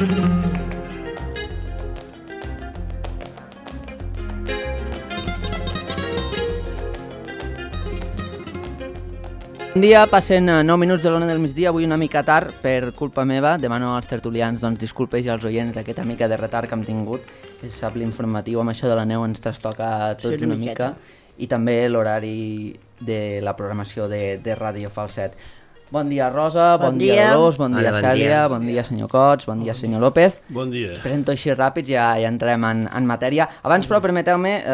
Bon dia, passen 9 minuts de l'ona del migdia, avui una mica tard per culpa meva. Demano als tertulians disculpes i als oients d'aquesta mica de retard que hem tingut. Sap, l'informatiu amb això de la neu ens trastoca tots una mica. I també l'horari de la programació de Ràdio Falset. Bon dia, Rosa, bon dia, Dolors, bon dia, Cèlia, bon dia, senyor Cots, bon dia, senyor López. Bon dia. Us presento així ràpids, ja entrem en matèria. Abans, però, permeteu-me,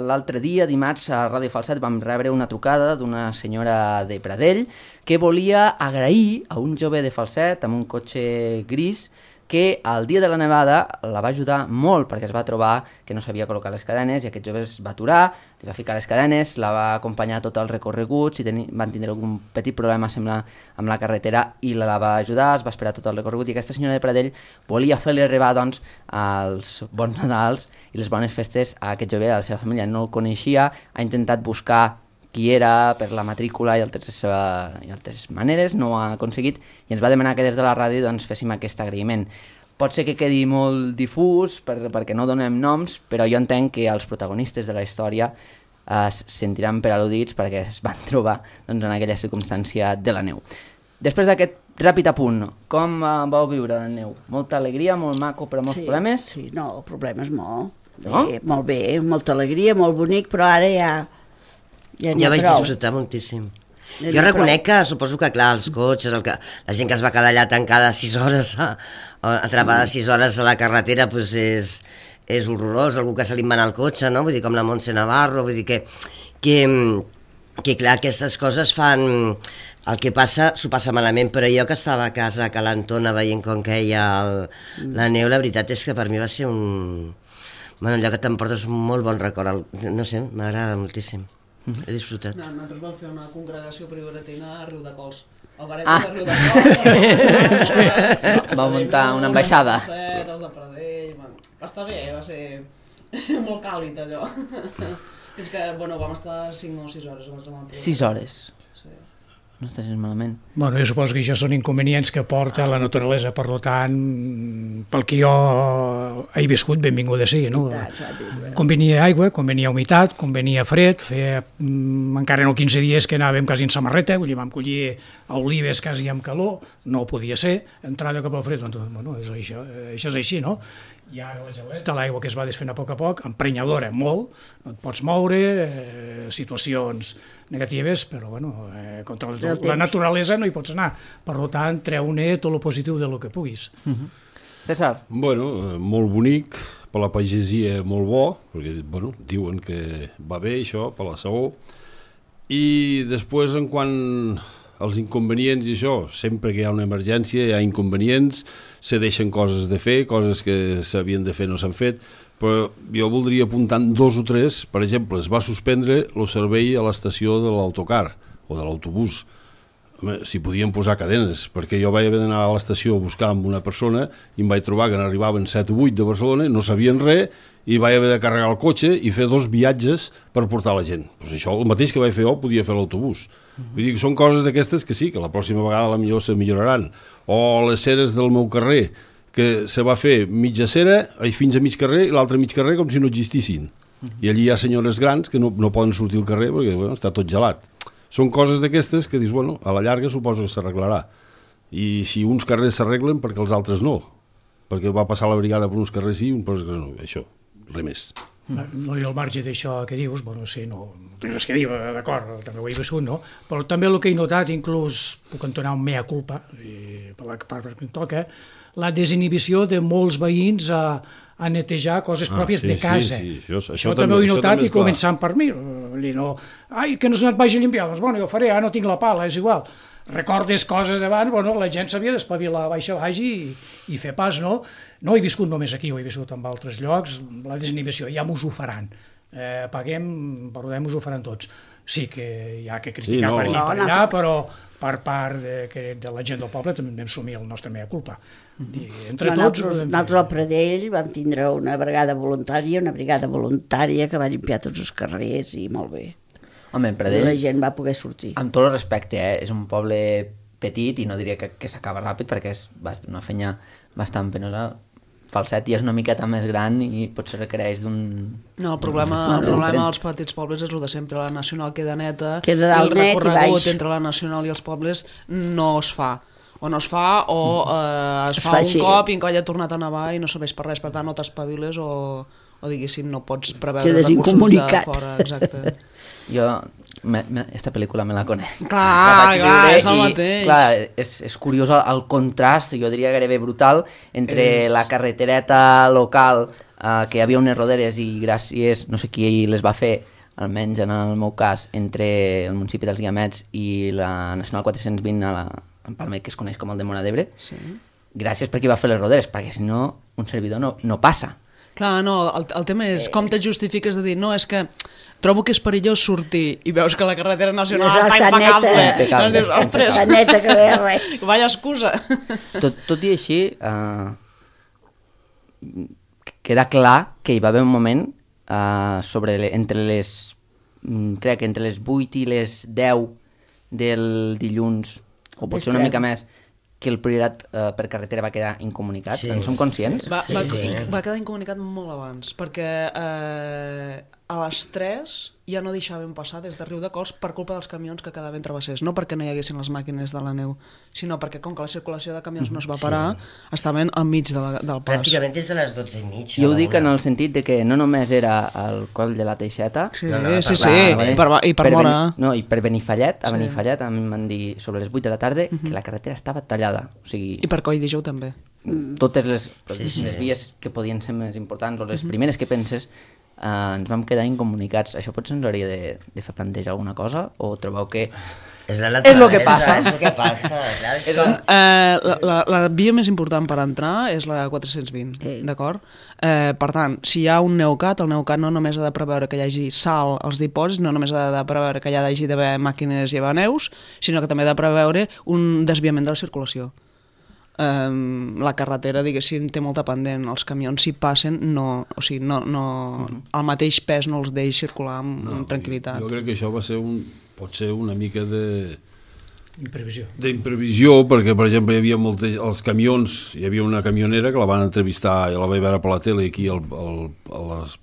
l'altre dia, dimarts, a Ràdio Falset vam rebre una trucada d'una senyora de Pradell que volia agrair a un jove de Falset amb un cotxe gris que el dia de la nevada la va ajudar molt perquè es va trobar que no sabia col·locar les cadenes i aquest jove es va aturar, li va ficar les cadenes, la va acompanyar tot el recorregut, van tindre algun petit problema, sembla, amb la carretera i la va ajudar, es va esperar tot el recorregut i aquesta senyora de Pradell volia fer-li arribar els bons Nadals i les bones festes a aquest jove, a la seva família. No el coneixia, ha intentat buscar qui era per la matrícula i altres maneres, no ho ha aconseguit i ens va demanar que des de la ràdio féssim aquest agraïment. Pot ser que quedi molt difús perquè no donem noms, però jo entenc que els protagonistes de la història es sentiran per al·ludits perquè es van trobar en aquella circumstància de la neu. Després d'aquest ràpid apunt, com vau viure la neu? Molta alegria, molt maco, però molts problemes? Sí, no, problemes molt. Molt bé, molta alegria, molt bonic, però ara ja vaig disfrutar moltíssim. Jo reconec que, suposo que, clar, els cotxes, la gent que es va quedar allà tancada 6 hores, atrapada 6 hores a la carretera, doncs és horrorós, algú que se li va anar al cotxe, no? Vull dir, com la Montse Navarro, vull dir que clar, aquestes coses fan... El que passa, s'ho passa malament, però jo que estava a casa, a Calentona, veient com queia la neu, la veritat és que per mi va ser Bueno, allò que t'emportes un molt bon record, no sé, m'agrada moltíssim. He disfrutat. Nosaltres vam fer una congregació prioratina a Riudecols. Al baret de Riudecols. Va muntar una ambaixada. Els de Pradell. Va estar bé, va ser molt càlid allò. Fins que, bueno, vam estar 5 o 6 hores. 6 hores? No està gens malament. Bueno, jo suposo que això són inconvenients que porta la naturalesa, per tant, pel que jo he viscut, benvinguda sigui, no? Convenia aigua, convenia humitat, convenia fred, feia encara no 15 dies que anàvem quasi en samarreta, vull dir, vam collir olives quasi amb calor, no podia ser, entrada cap al fred, doncs, bueno, això és així, no? I ara la geleta, l'aigua que es va desfent a poc, emprenyadora molt, no et pots moure, situacions negatives, però bueno, contra la naturalesa no hi pots anar, per tant, treu-ne tot el positiu del que puguis. César? Bueno, molt bonic, per la pagesia molt bo, perquè bueno, diuen que va bé això, per la saó, i després en quant als inconvenients i això, sempre que hi ha una emergència hi ha inconvenients, se deixen coses de fer, coses que s'havien de fer no s'han fet, però jo voldria apuntar 2 o 3, per exemple, es va suspendre el servei a l'estació de l'autocar o de l'autobús, si podien posar cadenes, perquè jo vaig haver d'anar a l'estació a buscar amb una persona i em vaig trobar que n'arribaven 7 o 8 de Barcelona, no sabien res, i vaig haver de carregar el cotxe i fer 2 viatges per portar la gent. Pues això, el mateix que vaig fer jo, podia fer l'autobús. Vull dir que són coses d'aquestes que sí, que la pròxima vegada potser se milloraran. O les ceres del meu carrer, que se va fer mitja cera fins a mig carrer i l'altre mig carrer com si no existissin. I allí hi ha senyores grans que no poden sortir al carrer perquè bueno, està tot gelat. Són coses d'aquestes que dius, bueno, a la llarga suposo que s'arreglarà. I si uns carrers s'arreglen, perquè els altres no. Perquè va passar la brigada per uns carrers sí i uns per uns carrers no. Això, res més. No hi ha el marge d'això que dius, bueno, sí, no tinc res que dir, d'acord, també ho he viscut, no? Però també el que he notat, inclús puc entonar un mea culpa, per la part que em toca, la desinhibició de molts veïns a netejar coses pròpies de casa. Sí, això també ho he notat i començant per mi. Ai, que no se't vagi a limpiar, doncs bueno, jo ho faré, no tinc la pala, és igual. Recordes coses d'abans, bueno, la gent s'havia d'espavilar baix i fer pas, no? No he viscut només aquí, ho he viscut en altres llocs, la desinhibició, ja m'ho faran. Paguem, us ho faran tots. Sí que hi ha que criticar per aquí i per allà, però per part de la gent del poble també vam assumir el nostre mea culpa. Nosaltres al Pradell vam tindre una brigada voluntària que va limpiar tots els carrers i molt bé. Home, en Pradell, la gent va poder sortir. Amb tot el respecte, és un poble petit i no diria que s'acaba ràpid perquè és una feina bastant penosa. Falset ja és una miqueta més gran i potser requereix d'un... No, el problema dels petits pobles és el de sempre. La nacional queda neta i el recorregut entre la nacional i els pobles no es fa. O no es fa o es fa un cop i en colla ha tornat a nevar i no serveix per res. Per tant, no t'espaviles o diguéssim, no pots preveure recursos de fora. Exacte. Jo, esta pel·lícula me la conec. Clar, és el mateix. Clar, és curiós el contrast, jo diria gairebé brutal, entre la carretereta local, que hi havia unes roderes i gràcies, no sé qui les va fer, almenys en el meu cas, entre el municipi dels Guiamets i la Nacional 420 en Palma, que es coneix com el de Móra d'Ebre, gràcies per qui va fer les roderes, perquè si no, un servidor no passa. Clar, no, el tema és com te justifiques de dir, no, és que trobo que és perillós sortir i veus que la carretera nacional està impecable. Doncs dius, ostres, està neta que ve res. Vaya excusa. Tot i així, queda clar que hi va haver un moment crec que entre les 8 i les 10 del dilluns, o potser una mica més, que el priorat per carretera va quedar incomunicat. En som conscients? Va quedar incomunicat molt abans, perquè a les 3 ja no deixàvem passar des de Riudecols per culpa dels camions que quedaven travessers. No perquè no hi haguessin les màquines de la neu, sinó perquè com que la circulació de camions no es va parar, estaven al mig del pas. Pràcticament des de les 12:30. Jo ho dic en el sentit de que no només era el coll de la Teixeta, i per Móra. No, i per Benifallet, a Benifallet a mi em van dir sobre les 8 de la tarda que la carretera estava tallada. O sigui, I per Coll d'Ijou també. Totes les vies que podien ser més importants o les primeres que penses ens vam quedar incomunicats. Això potser ens hauria de fer plantejar alguna cosa o trobeu que és el que passa? És el que passa. La via més important per entrar és la 420, d'acord? Per tant, si hi ha un Neucat, el Neucat no només ha de preveure que hi hagi sal als dipòsits, no només ha de preveure que hi hagi d'haver màquines llevaneus, sinó que també ha de preveure un desviament de la circulació. La carretera, diguéssim, té molta pendent. Els camions, si passen, el mateix pes no els deix circular amb tranquil·litat. Jo crec que això pot ser una mica d'imprevisió, perquè, per exemple, hi havia els camions, hi havia una camionera que la van entrevistar i la vaig veure per la tele aquí al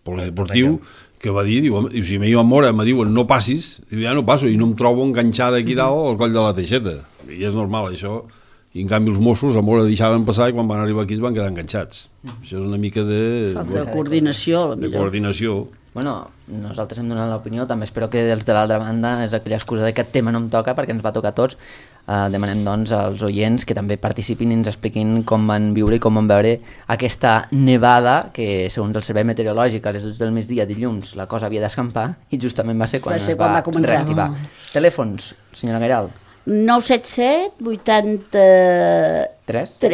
polideportiu, que va dir, si m'hi va Móra, me diuen no passis, ja no passo, i no em trobo enganxada aquí dalt al coll de la Teixeta, i és normal això. I en canvi els Mossos a Móra deixaven passar i quan van arribar aquí es van quedar enganxats. Això és una mica de... Falta de coordinació, de coordinació. Bueno, nosaltres hem donat l'opinió, també espero que dels de l'altra banda és aquella excusa de que aquest tema no em toca perquè ens va tocar a tots. Demanem doncs als oients que també participin i ens expliquin com van viure i com van veure aquesta nevada que segons el Servei Meteorològic a les 12 del migdia dilluns la cosa havia d'escampar i justament va ser quan es va reactivar. Telèfons, senyora Gairal. 977 83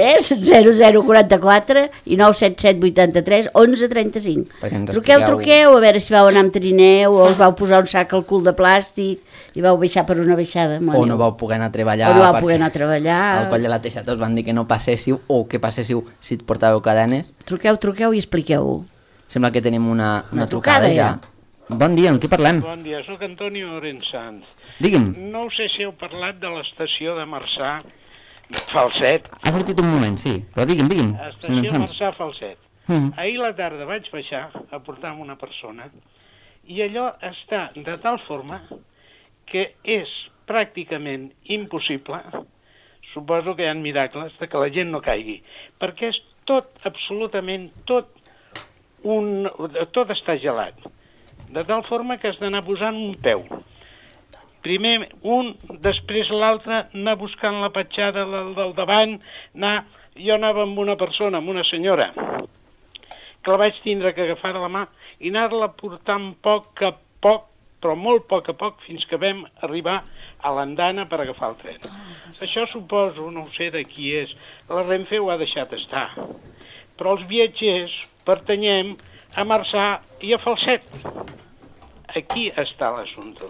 0044 i 977 83 1135. Truqueu, a veure si vau anar amb trineu o us vau posar un sac al cul de plàstic i vau baixar per una baixada. O no vau poder anar a treballar. Al coll de la Teixeta us van dir que no passéssiu o que passéssiu si et portàveu cadenes. Truqueu i expliqueu-ho. Sembla que tenim una trucada ja. Bon dia, amb qui parlem? Bon dia, soc Antonio Orensanz. Digui'm. No sé si heu parlat de l'estació de Marçà Falset. Ha sortit un moment, sí, però digui'm. Estació Marçà Falset. Ahir la tarda vaig baixar a portar una persona i allò està de tal forma que és pràcticament impossible, suposo que hi ha miracles, de que la gent no caigui, perquè és tot, absolutament tot està gelat. De tal forma que has d'anar posant un peu. Primer un, després l'altre, anar buscant la petjada del davant, jo anava amb una persona, amb una senyora, que la vaig tindre que agafar de la mà i anar-la portant poc a poc, però molt poc a poc, fins que vam arribar a l'andana per agafar el tren. Això suposo, no sé de qui és, la Renfe ho ha deixat estar, però els viatgers pertanyem a Marçà i a Falset. Aquí està l'assumpte.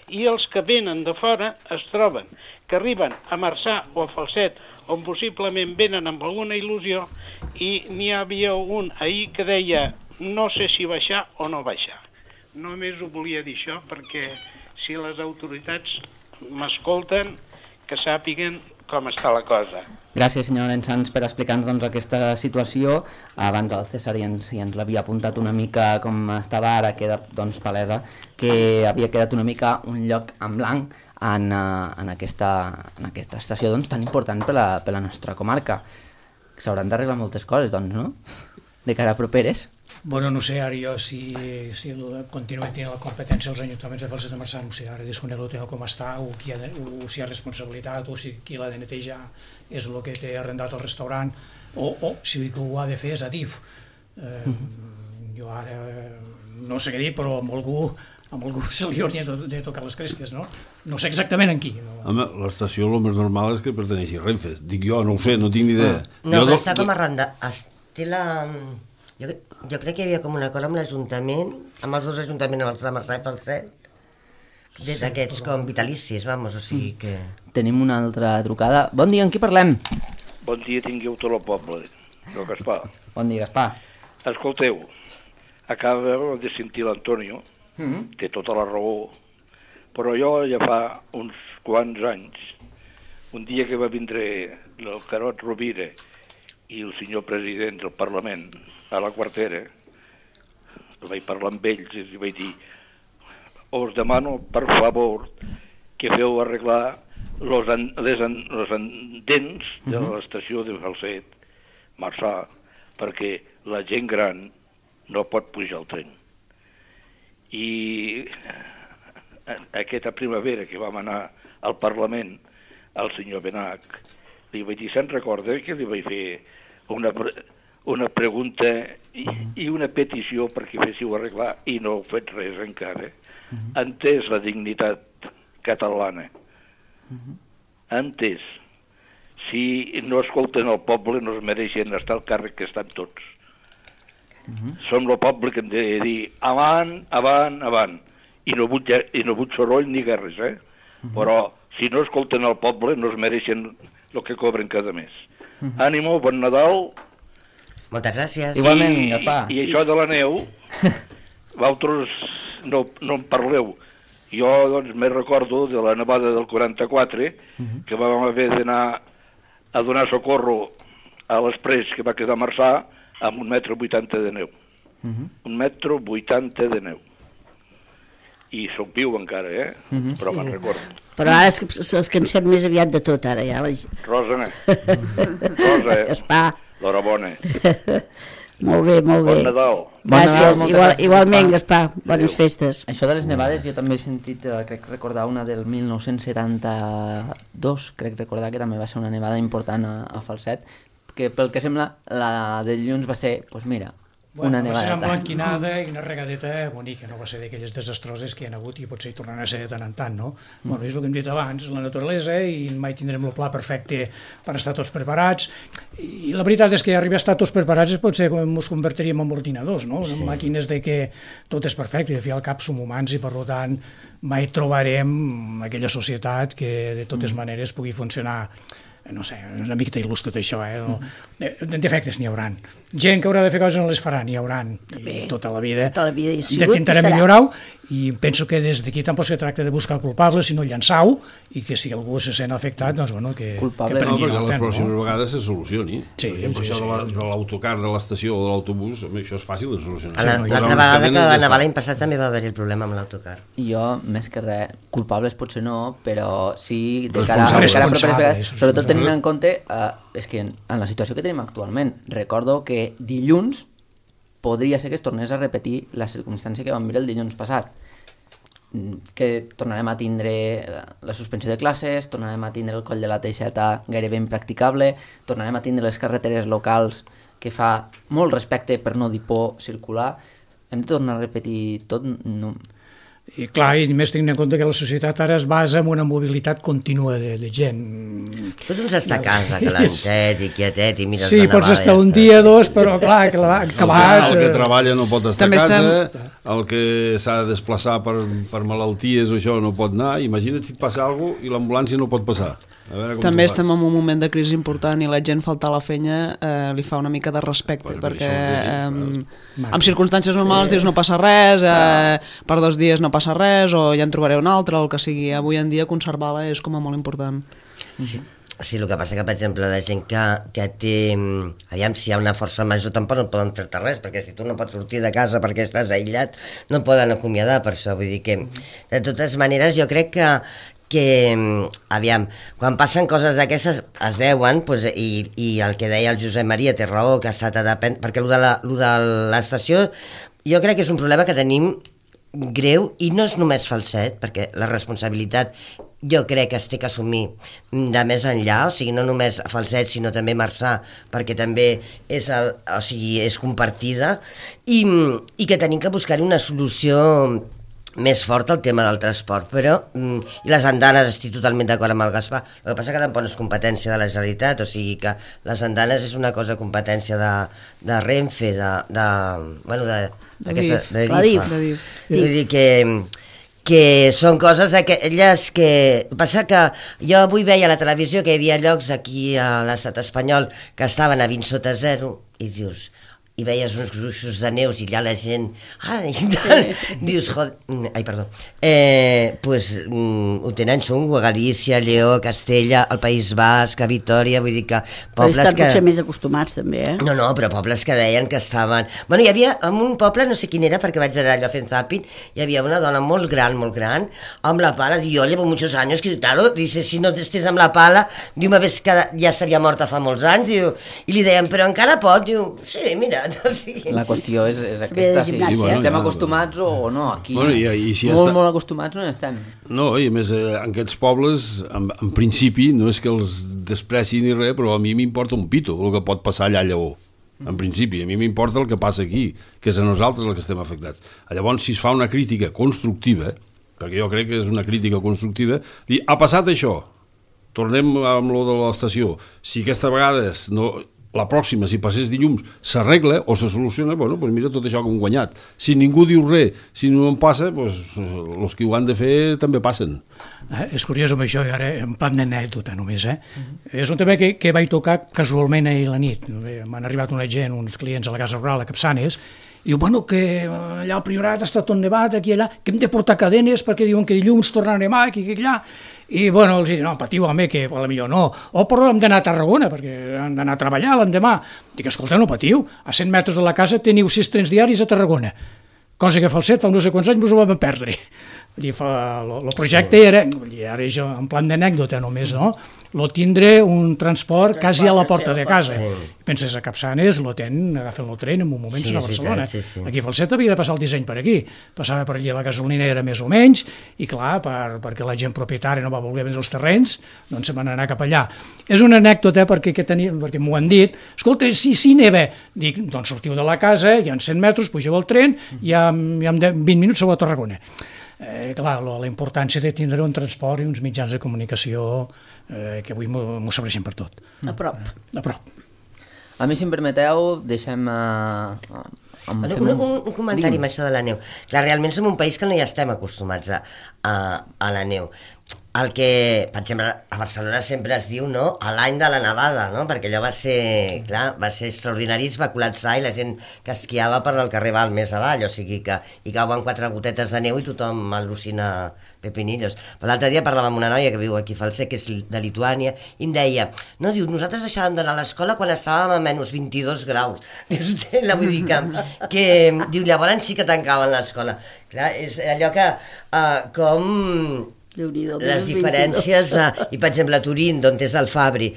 I els que venen de fora es troben que arriben a Marçà o a Falset, on possiblement venen amb alguna il·lusió, i n'hi havia un ahir que deia no sé si baixar o no baixar. Només ho volia dir això perquè si les autoritats m'escolten, que sàpiguen com està la cosa. Gràcies, senyor Lensans, per explicar-nos doncs, aquesta situació. Abans el César ja ens l'havia apuntat una mica com estava, ara queda doncs, palesa que havia quedat una mica un lloc en blanc en aquesta estació doncs, tan important per la nostra comarca. S'hauran d'arreglar moltes coses, doncs, no? De cara a properes. Bueno, no sé, ara jo si continuem tenint la competència els ajuntaments de Falset de Marçà, no sé, ara desconec el tema com està, o si hi ha responsabilitat, o si qui l'ha de netejar és el que té arrendat el restaurant, o si qui ho ha de fer és ADIF. Jo ara no sé què dir, però amb algú se li hauria de tocar les crestes, no? No sé exactament en qui. Home, l'estació el més normal és que perteneixi a Renfe. Dic jo, no ho sé, no tinc ni idea. No, però està com arrendat. Jo crec que hi havia com un acord amb l'Ajuntament, amb els dos ajuntaments, amb els de Marçà i Falset, d'aquests com vitalicis, vamos, o sigui que... Tenim una altra trucada. Bon dia, amb qui parlem? Bon dia, tingueu tot el poble, el Gaspar. Bon dia, Gaspar. Escolteu, acaba de sentir l'Antonio, té tota la raó, però jo ja fa uns quants anys, un dia que va vindre el Carot Rovira i el senyor president del Parlament a la Quartera, vaig parlar amb ells i vaig dir: us demano, per favor, que feu arreglar les andens de l'estació de Falset, Marçà, perquè la gent gran no pot pujar al tren. I aquesta primavera que vam anar al Parlament, al senyor Benach, li vaig dir, se'n recorda que li vaig fer una pregunta i una petició perquè féssiu arreglar, i no heu fet res encara. Entès la dignitat catalana. Entès. Si no escolten el poble no es mereixen estar al càrrec que estan tots. Som el poble que hem de dir avant, avant, avant. I no vull soroll ni guerres, Però si no escolten el poble no es mereixen el que cobren cada mes. Ànimo, bon Nadal. Moltes gràcies. Igualment, Gaspar. I això de la neu, vosaltres no en parleu. Jo doncs me recordo de la nevada del 44, que vam haver d'anar a donar socorro a l'Exprés que va quedar a Marçà amb 1,80 m de neu. 1,80 m de neu. I soc viu encara, però me'n recordo. Però ara és que en sap més aviat de tot, ara ja. Rosa, Gaspar. l'horabona. Molt bé, molt bé. Bon Nadal. Gràcies, igualment, Gaspar. Bones festes. Això de les nevades jo també he sentit, crec recordar una del 1972, crec recordar que també va ser una nevada important a Falset, que pel que sembla la de dilluns va ser, doncs mira, una nevada. Va ser emblanquinada i una regadeta bonica, no va ser d'aquelles desastroses que hi ha hagut i potser hi tornaran a ser de tant en tant, no? Bueno, és el que hem dit abans, la naturalesa, i mai tindrem el pla perfecte per estar tots preparats, i la veritat és que arribar a estar tots preparats potser ens convertiríem en ordinadors, no? En màquines de que tot és perfecte, i al cap som humans i per tant mai trobarem aquella societat que de totes maneres pugui funcionar. No sé, una mica il·lus tot això, defectes n'hi hauran. Gent que haurà de fer coses no les farà, n'hi hauran, tota la vida intentarem millorar-ho, i penso que des d'aquí tampoc se tracta de buscar culpables, sinó llançar-ho, i que si algú se sent afectat, doncs bueno, que prengui nota. Les pròximes vegades se solucioni. Per exemple, això de l'autocar de l'estació o de l'autobús, això és fàcil de solucionar. L'altra vegada que va nevar l'any passat també va haver-hi el problema amb l'autocar. Jo, més que res, culpables potser no, però sí de cara a properes vegades, sobretot tenint en compte, és que en la situació que tenim actualment, recordo que dilluns podria ser que es tornés a repetir la circumstància que vam veure el dilluns passat, que tornarem a tindre la suspensió de classes, tornarem a tindre el coll de la Teixeta gairebé impracticable, tornarem a tindre les carreteres locals que fa molt respecte, per no dir por, circular. Hem de tornar a repetir tot? No. I clar, i més tenint en compte que la societat ara es basa en una mobilitat contínua de gent. Doncs uns està a casa, calentet i quietet i mires sí, pots estar un dia, dos, però clar, acabat... El que treballa no pot estar a casa, el que s'ha de desplaçar per malalties o això no pot anar, imagina't si et passa alguna cosa i l'ambulància no pot passar. També estem en un moment de crisi important i la gent faltar a la feina li fa una mica de respecte, perquè en circumstàncies normals dius no passa res, per 2 dies no passa res, o ja en trobaré un altre, el que sigui. Avui en dia conservar-la és com a molt important. Sí. Sí, el que passa que, per exemple, la gent que té... Aviam, si hi ha una força major tampoc no poden fer-te res, perquè si tu no pots sortir de casa perquè estàs aïllat, no poden acomiadar per això. Vull dir que, de totes maneres, jo crec que aviam, quan passen coses d'aquestes es veuen, doncs, i el que deia el Josep Maria té raó, que s'ha d'adaptar, perquè el de l'estació jo crec que és un problema que tenim greu, i no és només Falset, perquè la responsabilitat jo crec que es té que assumir de més enllà, o sigui, no només Falset sinó també Marçà, perquè també és, és compartida, i que tenim que buscar una solució més forta al tema del transport, però i les andanes, estic totalment d'acord amb el Gaspar, el que passa que tampoc és competència de la Generalitat, o sigui que les andanes és una cosa competència de Renfe, de DIF. Vull dir que són coses d'aquelles que... Passa que jo avui veia a la televisió que hi havia llocs aquí a l'estat espanyol que estaven a 20 sota zero, i dius... i veies uns gruixos de neus i allà la gent dius, pues ho tenen xungo a Galícia, Lleó, Castella, el País Basc, a Vitoria, vull dir que pobles estan potser més acostumats també, No, però pobles que deien que estaven... Bueno, hi havia en un poble, no sé quin era, perquè vaig anar allò fent zapping, hi havia una dona molt gran, amb la pala, diu, yo llevo muchos años, que claro, dice, si no estés amb la pala, diu, me ves que ja estaria morta fa molts anys, diu, i li deien, però encara pot, diu, sí, mira. La qüestió és aquesta, si estem acostumats o no. Aquí molt acostumats no estem. No, i a més en aquests pobles en principi no és que els despreci ni res, però a mi m'importa un pito el que pot passar allà a Lleó. En principi, a mi m'importa el que passa aquí, que és a nosaltres el que estem afectats. Llavors, si es fa una crítica constructiva, perquè jo crec que és una crítica constructiva, dir, ha passat això, tornem amb lo de l'estació, si aquesta vegada no... la pròxima, si passés dilluns, s'arregla o se soluciona, bueno, doncs mira tot això que hem guanyat. Si ningú diu res, si no en passa, doncs els que ho han de fer també passen. És curiós amb això, i ara en plan d'anècdota només, És un tema que vaig tocar casualment ahir a la nit. M'han arribat una gent, uns clients a la Casa Rural a Capçanes, i diu, bueno, que allà al Priorat està tot nevat, aquí i allà, que hem de portar cadenes perquè diuen que dilluns tornarà a nevar, aquí i allà. I, bueno, els dic, no, patiu, home, que potser no. O però hem d'anar a Tarragona, perquè hem d'anar a treballar l'endemà. Dic, escolta, no patiu, a 100 metres de la casa teniu 6 trens diaris a Tarragona. Cosa que Falset fa no sé quants anys us ho vam perdre. El projecte era, ara és en plan d'anècdota només, no? Lo tindre un transport quasi a la porta de casa. Penses, a Capçanes lo tenen, agafen el tren en un moment a Barcelona. Aquí a Falset havia de passar el disseny per aquí. Passava per allà la gasolinera més o menys, i clar, perquè la gent propietària no va voler vendre els terrenys, doncs se van anar cap allà. És una anècdota perquè m'ho han dit, escolta, si neva, dic, doncs sortiu de la casa, hi ha 100 metres, pugeu al tren, i en 20 minuts sou a Tarragona. Clar, la importància de tindre un transport i uns mitjans de comunicació que avui m'ho serveixen per tot. A prop. A mi, si em permeteu, deixem... Un comentari amb això de la neu. Clar, realment som un país que no hi estem acostumats a la neu. El que, per exemple, a Barcelona sempre es diu, no?, a l'any de la nevada, no?, perquè allò va ser, clar, va ser extraordinari, es va col·lapsar i la gent que esquiava per al carrer Val més avall, o sigui que hi cauen 4 gotetes de neu i tothom al·lucina pepinillos. Però l'altre dia parlava amb una noia que viu aquí a Falset, que és de Lituània, i em deia, no, diu, nosaltres deixàvem d'anar a l'escola quan estàvem a menys 22 graus. Dius, vull dir que diu, llavors sí que tancaven l'escola. Clar, és allò que, com... les diferències, i per exemple a Turín, d'on és el Fabri,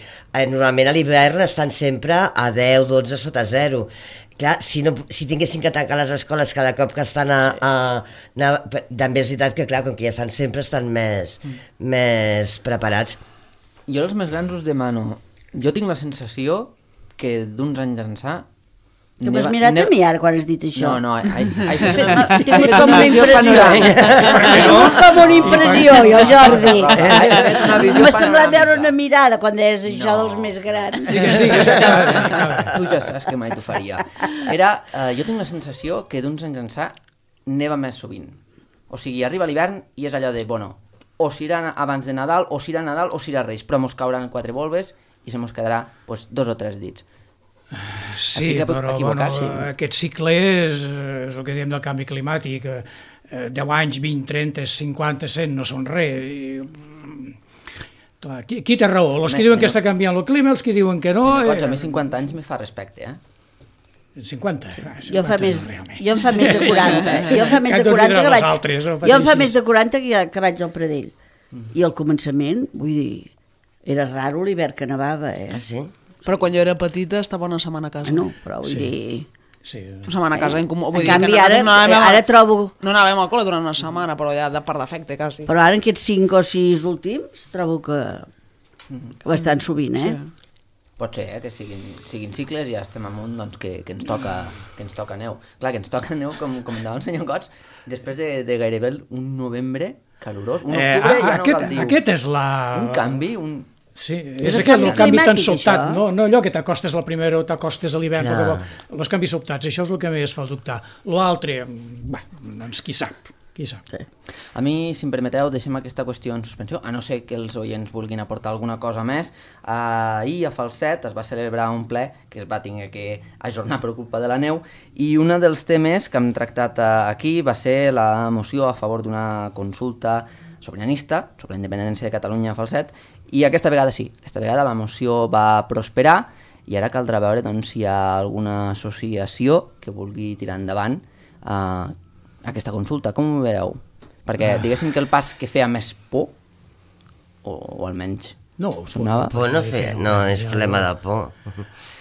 normalment a l'hivern estan sempre a 10, 12 sota 0. Clar, si tinguessin que tancar les escoles cada cop que estan també és veritat que, clar, com que ja estan sempre, estan més preparats. Jo als més grans us demano, jo tinc la sensació que d'uns anys ençà Tu m'has mirat a mi ara quan has dit això. No, he tingut com una impressió. He tingut com una impressió, jo, Jordi. M'ha semblat veure una mirada quan deies això dels més grans. Tu ja saps que mai t'ho faria. Jo tinc la sensació que d'uns anys ençà neva més sovint. O sigui, arriba l'hivern i és allò de, bueno, o s'irà abans de Nadal, o s'irà Nadal, o s'irà Reis, però mos cauran 4 volves i se mos quedarà 2 o 3 dits. Sí, però aquest cicle és el que diem del canvi climàtic. 10 anys, 20, 30, 50, 100 no són res. Clar, qui té raó? Els que diuen que està canviant el clima, els que diuen que no... A mi 50 anys me fa respecte, 50? Jo em fa més de 40. Jo em fa més de 40 que vaig al Pradell. I al començament, vull dir, era raro l'hivern que nevava, Ah, sí? Però quan jo era petita estava una setmana a casa. No, però vull dir... Sí. Una setmana a casa. En canvi, ara trobo... No anàvem al col·le durant una setmana, però ja per defecte, quasi. Però ara en aquests 5 o 6 últims trobo que bastant sovint, Sí. Pot ser, que siguin cicles i ja estem amunt, doncs, que ens toca neu. Clar, que ens toca neu, com comentava el senyor Cots, després de gairebé un novembre calorós, un octubre ja no cal dir. Aquest és un canvi, Sí, és aquest el canvi tan sobtat, no allò que t'acostes la primera o t'acostes a l'hivern, els canvis sobtats, això és el que més fa dubtar. L'altre, doncs qui sap. A mi, si em permeteu, deixem aquesta qüestió en suspensió, a no ser que els oients vulguin aportar alguna cosa més. Ahir a Falset es va celebrar un ple que es va haver que ajornar per culpa de la neu i un dels temes que hem tractat aquí va ser la moció a favor d'una consulta sobiranista sobre la independència de Catalunya a Falset i aquesta vegada sí, aquesta vegada la moció va prosperar i ara caldrà veure doncs, si hi ha alguna associació que vulgui tirar endavant aquesta consulta. Com ho veieu? Perquè diguéssim que el pas que feia més por, o almenys sonava... Por no és problema de por.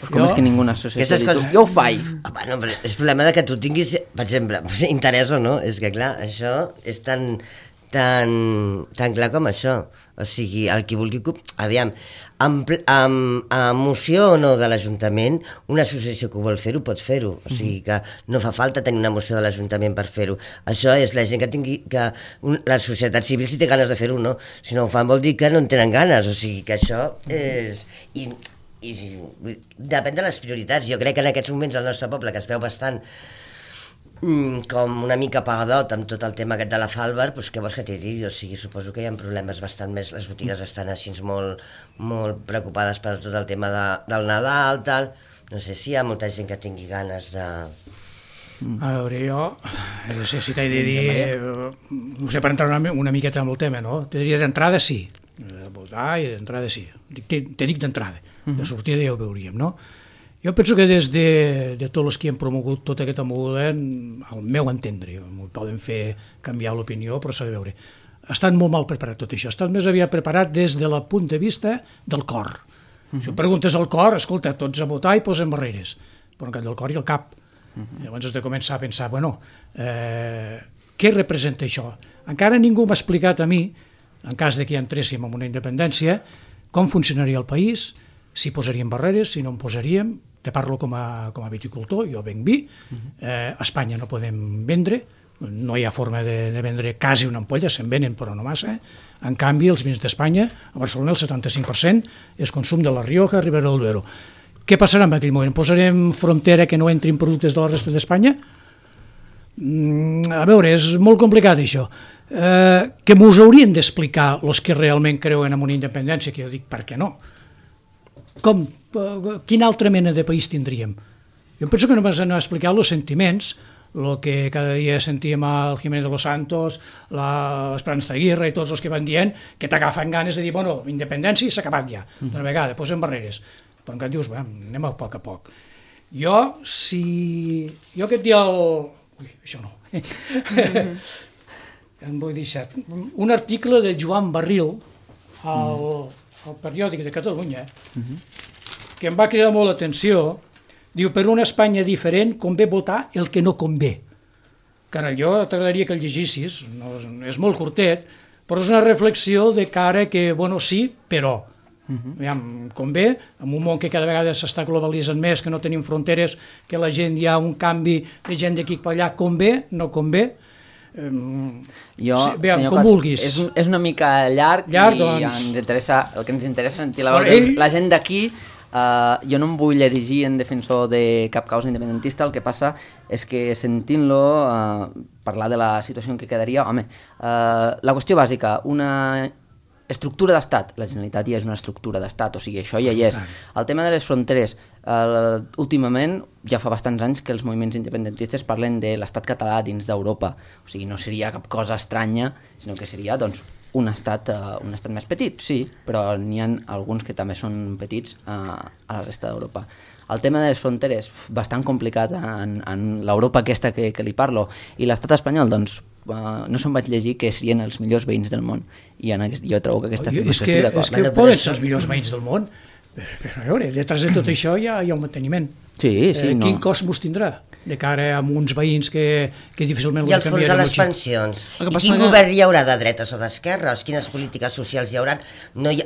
Pues com és que ninguna associació diu, jo ho faig? Bueno, és problema de que tu tinguis, per exemple, interès o no, és que clar, això és tan clar com això. O sigui, el qui vulgui... Aviam, amb moció o no de l'Ajuntament, una associació que vol fer-ho pot fer-ho. O sigui que no fa falta tenir una moció de l'Ajuntament per fer-ho. Això és la gent que tingui... La societat civil si té ganes de fer-ho, no. Si no ho fan vol dir que no en tenen ganes. O sigui que això és... I depèn de les prioritats. Jo crec que en aquests moments al nostre poble, que es veu bastant com una mica apagadot amb tot el tema aquest de la Falber, doncs què vols que t'hi digui? O sigui, suposo que hi ha problemes bastant més, les botigues estan així molt preocupades per tot el tema del Nadal, tal. No sé si hi ha molta gent que tingui ganes de... A veure, jo no sé si t'he de dir, no sé, per entrar una miqueta en el tema, no? T'he de dir d'entrada sí, de votar i d'entrada sí, te dic d'entrada, de sortida ja ho veuríem, no? Jo penso que des de tots els que han promogut tota aquesta moguda, al meu entendre, m'ho poden fer canviar l'opinió, però s'ha de veure, estan molt mal preparat tot això, estan més aviat preparat des del punt de vista del cor. Si preguntes al cor, escolta, tots a votar i posem barreres, però en canvi del cor i el cap. Llavors has de començar a pensar, bueno, què representa això? Encara ningú m'ha explicat a mi, en cas de que ja entréssim en una independència, com funcionaria el país, si posaríem barreres, si no en posaríem. Te parlo com a viticultor, jo venc vi, a Espanya no podem vendre, no hi ha forma de vendre quasi una ampolla, se'n venen però no massa. En canvi, els vins d'Espanya, a Barcelona el 75% és consum de la Rioja, Ribera del Duero. Què passarà en aquell moment? Posarem frontera que no entrin productes de la resta d'Espanya? A veure, és molt complicat això. Que m'ho haurien d'explicar els que realment creuen en una independència, que jo dic, per què no? Quina altra mena de país tindríem? Jo penso que només han explicat els sentiments, el que cada dia sentíem al Jiménez de los Santos, l'Esperanza Aguirre i tots els que van dient, que t'agafen ganes de dir, bueno, independència i s'ha acabat ja, d'una vegada, posem barreres. Però encara dius, anem a poc. Jo que et dia Ui, això no. Em vull deixar. Un article del Joan Barril al periòdic de Catalunya, que em va cridar molt l'atenció, diu, per una Espanya diferent convé votar el que no convé. Carai, jo t'agradaria que el llegissis, no, és molt curtet, però és una reflexió de cara que, bueno, sí, però convé, en un món que cada vegada s'està globalitzant més, que no tenim fronteres, que la gent hi ha un canvi de gent d'aquí per allà, convé, no convé, com vulguis. És una mica llarg i el que ens interessa sentir la gent d'aquí. Jo no em vull erigir en defensor de cap causa independentista, el que passa és que sentint-lo parlar de la situació en què quedaria, la qüestió bàsica, una estructura d'estat, la Generalitat ja és una estructura d'estat, o sigui, això ja hi és. El tema de les fronteres, últimament, ja fa bastants anys que els moviments independentistes parlen de l'estat català dins d'Europa, o sigui, no seria cap cosa estranya, sinó que seria, doncs, un estat més petit, sí, però n'hi ha alguns que també són petits a la resta d'Europa. El tema de les fronteres, bastant complicat en l'Europa aquesta que li parlo, i l'estat espanyol, doncs, no se'n vaig llegir que serien els millors veïns del món, i jo trobo que aquesta afirmació estic d'acord. És que poden ser els millors veïns del món, però a veure, detrás de tot això hi ha un manteniment. Sí, no. Quin cost mos tindrà de cara a uns veïns que difícilment I els fons de les pensions. I quin govern hi haurà de dretes o d'esquerres? Quines polítiques socials hi haurà? Jo el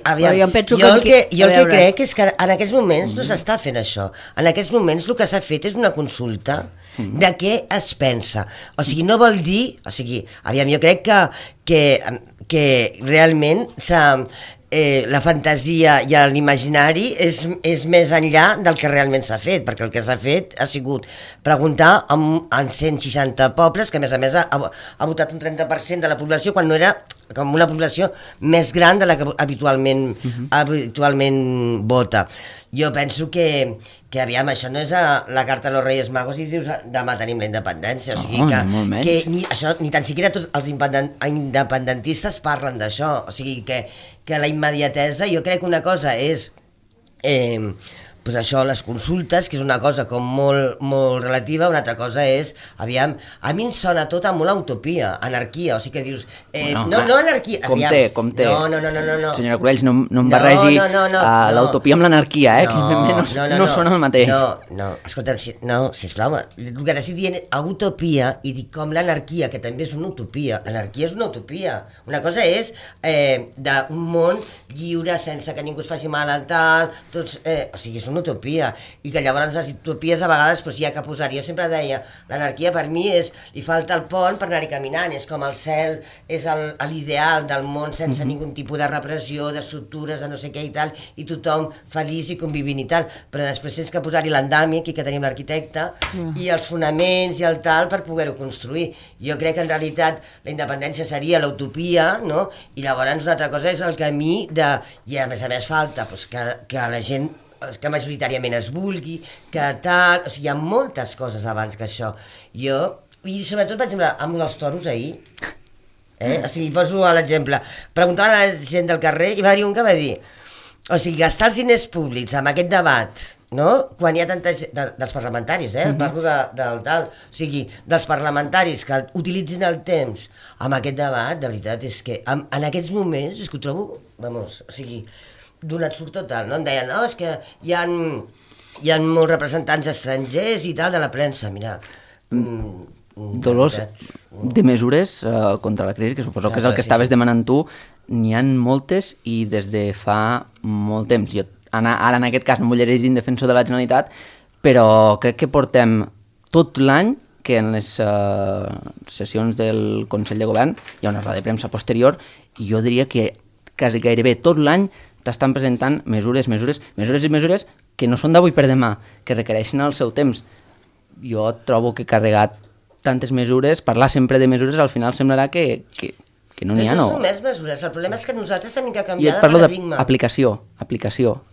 que crec és que en aquests moments no s'està fent això. En aquests moments el que s'ha fet és una consulta de què es pensa. O sigui, no vol dir... O sigui, jo crec que realment la fantasia i l'imaginari és més enllà del que realment s'ha fet, perquè el que s'ha fet ha sigut preguntar en 160 pobles, que a més ha votat un 30% de la població, quan no era com una població més gran de la que habitualment vota. Jo penso que això no és la carta de los Reyes Magos i dius demà tenim la independència, o sigui que ni tan siquiera tots els independentistes parlen d'això, o sigui que la immediatesa, jo crec que una cosa és pues això, les consultes, que és una cosa com molt, molt relativa, una altra cosa és, a mi em sona tot a molt utopia, anarquia, o sigui que dius... no anarquia... Compte. No. Senyora Corells, no em barregi l'utopia amb l'anarquia, que no són el mateix. No, escolta'm, sisplau, el que t'estic dient és utopia i dic com l'anarquia, que també és una utopia. L'anarquia és una utopia. Una cosa és d'un món lliure, sense que ningú es faci mal al tal, tots, o sigui, és una utopia, i que llavors les utopies a vegades hi ha que posar-hi. Jo sempre deia, l'anarquia per mi li falta el pont per anar-hi caminant, és com el cel, és l'ideal del món sense ningú tipus de repressió, d'estructures, de no sé què i tal, i tothom feliç i convivint i tal, però després tens que posar-hi l'andami, aquí que tenim l'arquitecte, i els fonaments i el tal per poder-ho construir. Jo crec que en realitat la independència seria l'utopia, no? I llavors una altra cosa és el camí i a més falta que la gent que majoritàriament es vulgui, que tal... O sigui, hi ha moltes coses abans que això. I sobretot, per exemple, amb els toros ahir, o sigui, poso l'exemple, preguntaven a la gent del carrer i va haver un que va dir, o sigui, gastar els diners públics amb aquest debat, no? Quan hi ha tanta gent, dels parlamentaris, parlo del tal, o sigui, dels parlamentaris que utilitzin el temps amb aquest debat, de veritat, és que en aquests moments, és que ho trobo, o sigui, donat surt total, no? Em deien, no, és que hi ha molts representants estrangers i tal de la premsa, mira... Dolors, de mesures contra la crisi, que suposo que és el que estaves demanant tu, n'hi ha moltes i des de fa molt temps. Jo ara en aquest cas no vull llegir en defensor de la Generalitat, però crec que portem tot l'any que en les sessions del Consell de Govern hi ha una roda de premsa posterior i jo diria que quasi gairebé tot l'any t'estan presentant mesures que no són d'avui per demà, que requereixen el seu temps. Jo trobo que carregat tantes mesures, parlar sempre de mesures, al final semblarà que no n'hi ha, no? No són més mesures, el problema és que nosaltres tenim que canviar de paradigma. Jo parlo d'aplicació,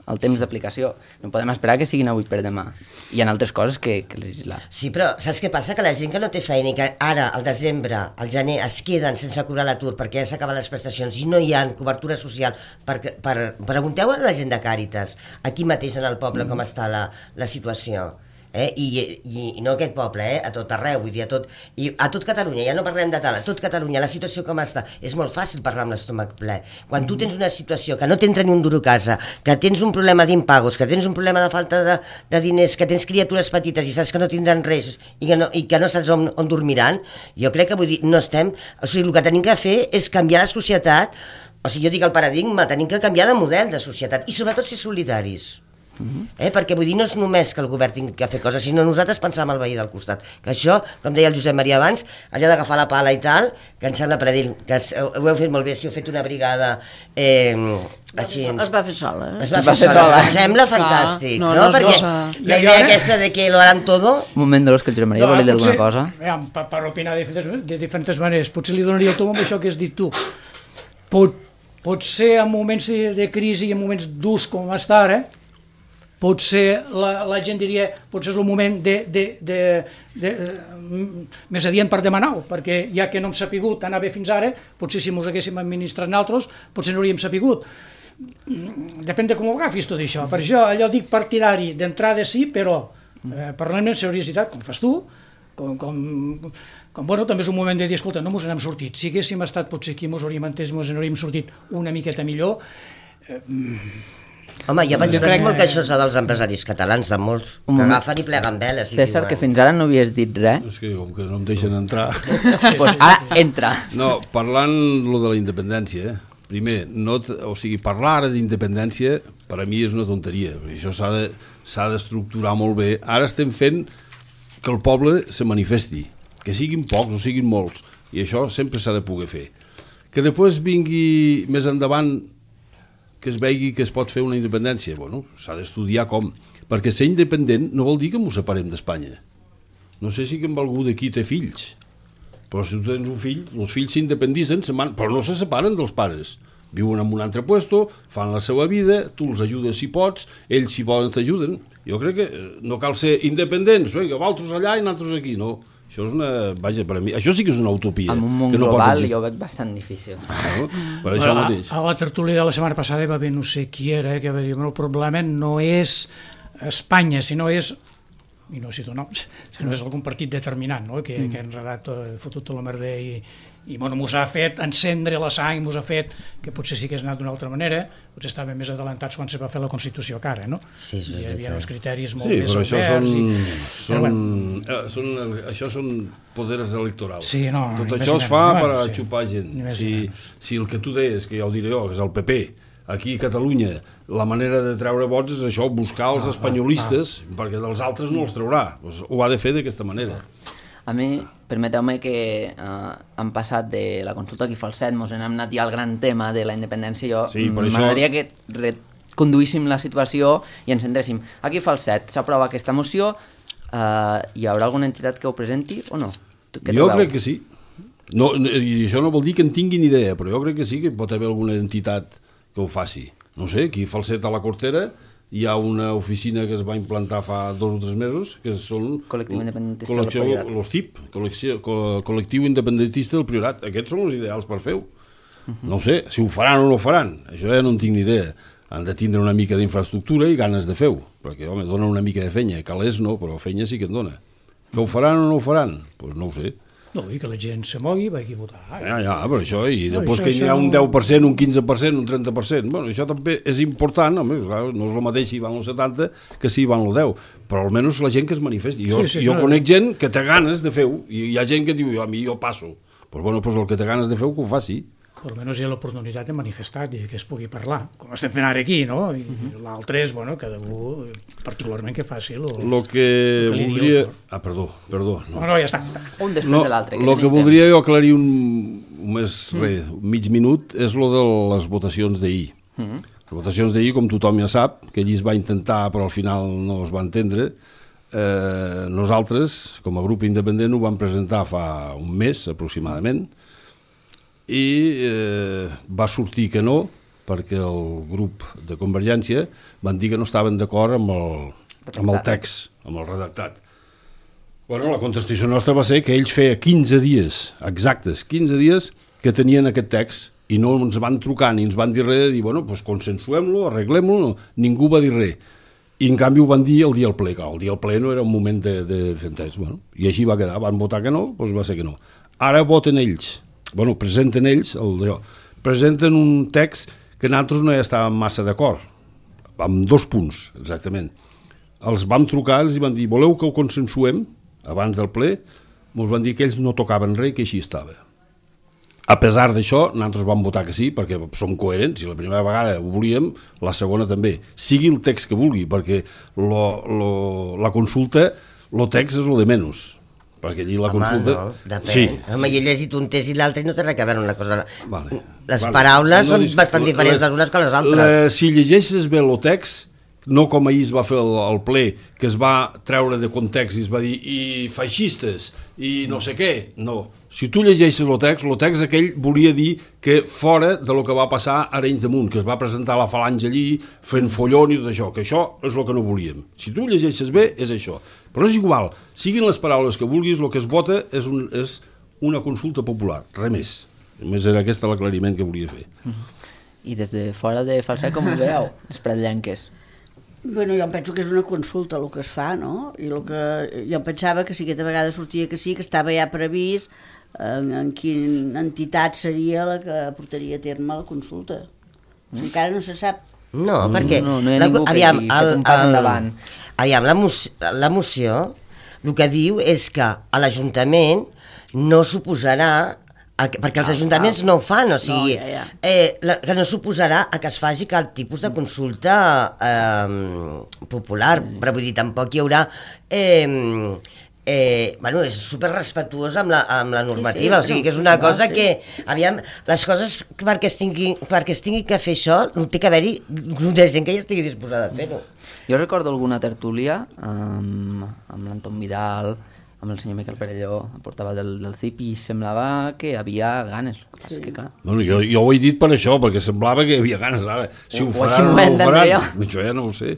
el temps d'aplicació. No podem esperar que siguin avui per demà. Hi ha altres coses que legislar. Sí, però saps què passa? Que la gent que no té feina i que ara, al desembre, al gener, es queden sense cobrar l'atur perquè ja s'acaben les prestacions i no hi ha cobertura social, pregunteu a la gent de Càritas, aquí mateix en el poble, com està la situació. I no aquest poble, a tot arreu, vull dir, a tot Catalunya, ja no parlem de tal, a tot Catalunya, la situació com està, és molt fàcil parlar amb l'estómac ple. Quan tu tens una situació que no t'entra ni un duro a casa, que tens un problema d'impagos, que tens un problema de falta de diners, que tens criatures petites i saps que no tindran res i que no saps on dormiran, jo crec que, vull dir, no estem... O sigui, el que tenim que fer és canviar la societat, o sigui, jo dic el paradigma, tenim que canviar de model de societat i sobretot ser solidaris. Perquè vull dir, no és només que el govern tingui que fer coses, sinó nosaltres pensar en el veí del costat, que això, com deia el Josep Maria abans, allò d'agafar la pala i tal, que em sembla predil, que ho heu fet molt bé, si heu fet una brigada així... Es va fer sola. Es va fer sola, em sembla fantàstic, no? Perquè la idea aquesta de que lo harán todo... Un moment, Dolors, que el Josep Maria volia dir alguna cosa. Per opinar de diferents maneres, potser li donaria el tom amb això que has dit tu. Pot ser en moments de crisi i en moments durs com està ara, potser la gent diria potser és el moment més adient per demanar-ho, perquè ja que no hem sapigut anar bé fins ara, potser si ens haguéssim administrat nosaltres, potser no hauríem sapigut. Depèn de com ho agafis tot això. Per això allò dic partidari d'entrada sí, però parlem amb seriositat, com fas tu, bueno, també és un moment de dir, escolta, no mos n'hem sortit. Si haguéssim estat potser aquí, mos n'hauríem sortit una miqueta millor. Home, jo penso que això és dels empresaris catalans, de molts, que agafen i pleguen veles. César, que fins ara no havies dit res. És que com que no em deixen entrar... Pues ara entra. No, parlant lo de la independència, primer, parlar ara d'independència per a mi és una tonteria, perquè això s'ha d'estructurar molt bé. Ara estem fent que el poble se manifesti, que siguin pocs o siguin molts, i això sempre s'ha de poder fer. Que després vingui més endavant que es vegi que es pot fer una independència, bueno, s'ha d'estudiar com, perquè ser independent no vol dir que m'ho separem d'Espanya. No sé si que algú d'aquí té fills, però si tu tens un fill, els fills s'independitzen, però no se separen dels pares. Viuen en un altre puesto, fan la seva vida, tu els ajudes si pots, ells si volen t'ajuden. Jo crec que no cal ser independents, vosaltres allà i nosaltres aquí, no. Això és una... Vaja, per a mi... Això sí que és una utopia. En un món global jo ho veig bastant difícil. Per això mateix. A la tertúlia de la setmana passada va haver no sé qui era, que va dir, el problema no és Espanya, sinó és... I no cito noms, sinó és algun partit determinant, no? Que ha enredat, fotut tot la merda i bueno, mos ha fet encendre la sang, mos ha fet que potser sí que és anat d'una altra manera, potser estàvem més adelantats quan se va fer la Constitució que ara, no? Sí, hi havia uns criteris molt més oberts. Això són poders electorals. Sí, no, tot això es fa per a xupar gent. Si el que tu deies, que ja ho diré jo, que és el PP, aquí a Catalunya, la manera de treure vots és això, buscar els espanyolistes, perquè dels altres no els traurà. Ho ha de fer d'aquesta manera. A mi, permeteu-me que hem passat de la consulta aquí Falset, mos hem anat ja al gran tema de la independència. M'agradaria que reconduíssim la situació i ens centréssim. Aquí Falset s'aprova aquesta moció, hi haurà alguna entitat que ho presenti o no? Jo crec que sí. I això no vol dir que en tinguin idea, però jo crec que sí que pot haver alguna entitat que ho faci. No sé, aquí Falset a la Cortera hi ha una oficina que es va implantar fa 2 o 3 mesos, que són Col·lectiu Independentista del Priorat. L'OSTIP, Col·lectiu Independentista del Priorat. Aquests són els ideals per fer-ho. No ho sé, si ho faran o no ho faran, això ja no en tinc ni idea. Han de tindre una mica d'infraestructura i ganes de fer-ho, perquè, home, donen una mica de fenya. Calés no, però fenya sí que en dona. Que ho faran o no ho faran? Doncs no ho sé. No, i que la gent se mogui, vagi a votar. Ja, però això, i després que hi ha un 10%, un 15%, un 30%, bueno, això també és important, home, no és el mateix si van el 70 que si van el 10, però almenys la gent que es manifesti. Jo conec gent que té ganes de fer-ho, i hi ha gent que diu, a mi jo passo. Doncs bueno, el que té ganes de fer-ho, que ho faci. Almenys hi ha l'oportunitat de manifestar i que es pugui parlar, com estem fent ara aquí, no? I l'altre és, bueno, cada un particularment que faci el que voldria... Perdó. No, ja està. Un després de l'altre. El que voldria jo aclarir mig minut és lo de les votacions d'ahir. Les votacions d'ahir, com tothom ja sap, que allí es va intentar, però al final no es va entendre. Nosaltres, com a grup independent, ho vam presentar fa un mes, aproximadament, i va sortir que no, perquè el grup de Convergència van dir que no estaven d'acord amb el text, amb el redactat. Bueno, la contestació nostra va ser que ells feia 15 dies, exactes, 15 dies que tenien aquest text i no ens van trucar ni ens van dir res de dir, bueno, doncs consensuem-lo, arreglem-lo, no. Ningú va dir res. I en canvi ho van dir el dia del ple, el dia del ple no era un moment de fer text, bueno, i així va quedar, van votar que no, doncs va ser que no. Ara voten ells. Bueno, presenten ells, presenten un text que nosaltres no hi estàvem massa d'acord, amb 2 punts, exactament. Els vam trucar, els van dir, voleu que ho consensuem abans del ple? Ens van dir que ells no tocaven res, que així estava. A pesar d'això, nosaltres vam votar que sí, perquè som coherents, i la primera vegada ho volíem, la segona també. Sigui el text que vulgui, perquè la consulta, el text és el de menys. Perquè allí la consulta... Home, no, depèn. Sí. Home, jo he llegit un test i l'altre i no té res a veure una cosa... Les paraules són bastant diferents les unes que les altres. Si llegeixes bé el text, no com ahir es va fer el ple, que es va treure de context i es va dir i feixistes, i no sé què, no. Si tu llegeixes el text aquell volia dir que fora de lo que va passar a Arenys de Munt, que es va presentar la falange allí fent follon i tot això, que això és el que no volíem. Si tu llegeixes bé, és això. Però és igual, siguin les paraules que vulguis, el que es vota és una consulta popular, res més. Només era aquest l'aclariment que volia fer. I des de fora de Falset, com ho veieu, les pretllenques? Bueno, jo em penso que és una consulta el que es fa, no? I el que jo em pensava que si aquesta vegada sortia que sí, que estava ja previst en quina entitat seria la que portaria a terme la consulta. O sigui, encara no se sap. No, perquè... No hi ha ningú que hagi fet un pas endavant. Aviam, la moció el que diu és que a l'Ajuntament no suposarà, perquè els ajuntaments no ho fan, o sigui, que no suposarà a que es faci cap tipus de consulta popular, però vull dir, tampoc hi haurà... bueno, és superrespectuós amb la normativa, o sigui que és una cosa que, aviam, les coses perquè es tingui que fer això, no té que haver-hi grup de gent que ja estigui disposada a fer-ho. Jo recordo alguna tertúlia amb l'Anton Vidal, amb el senyor Miquel Perelló, portava del CIP, i semblava que hi havia ganes. Sí. Que, clar... Bueno, jo ho he dit per això, perquè semblava que hi havia ganes ara. Si ho faran o no ho faran, això ja no ho sé.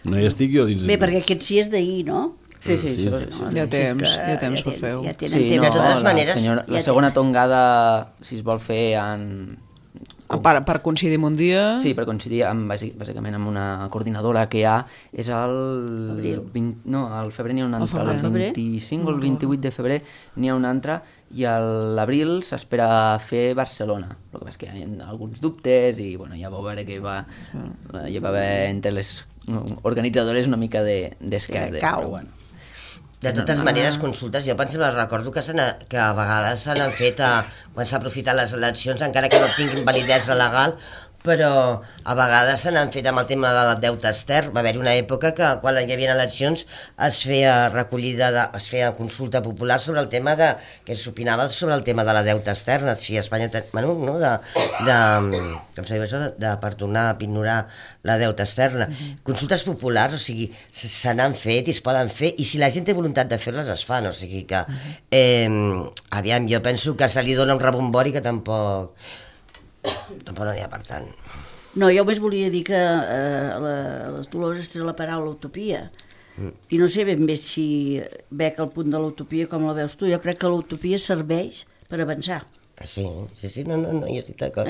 No hi estic jo dins. Bé, perquè aquest sí és d'ahir, no? Sí. Hi ha temps per fer-ho. De totes maneres... La segona tongada, si es vol fer per coincidir amb un dia... Sí, per coincidir bàsicament amb una coordinadora que hi ha, és al febrer n'hi ha una altra, el 25 o el 28 de febrer n'hi ha una altra, i a l'abril s'espera fer Barcelona. El que passa és que hi ha alguns dubtes i bueno, ja vau veure que hi va haver entre les organitzadores una mica d'esquerda. Però bueno. De totes maneres, consultes, jo recordo que a vegades se n'han fet quan s'ha aprofitat les eleccions, encara que no tinguin validesa legal, però a vegades se n'han fet amb el tema del deute extern. Va haver-hi una època que quan hi havia eleccions es feia consulta popular sobre el tema que s'opinava sobre el tema de la deute externa, si Espanya per tornar a ignorar la deute externa. Consultes populars, o sigui, se n'han fet i es poden fer, i si la gent té voluntat de fer-les es fan, o sigui que aviam, jo penso que se li dona un rebombori que tampoc no n'hi ha per tant. No, jo només volia dir que les Dolors té la paraula utopia, i no sé ben bé si bec el punt de l'utopia com la veus tu. Jo crec que l'utopia serveix per avançar. Sí, no, jo estic d'acord.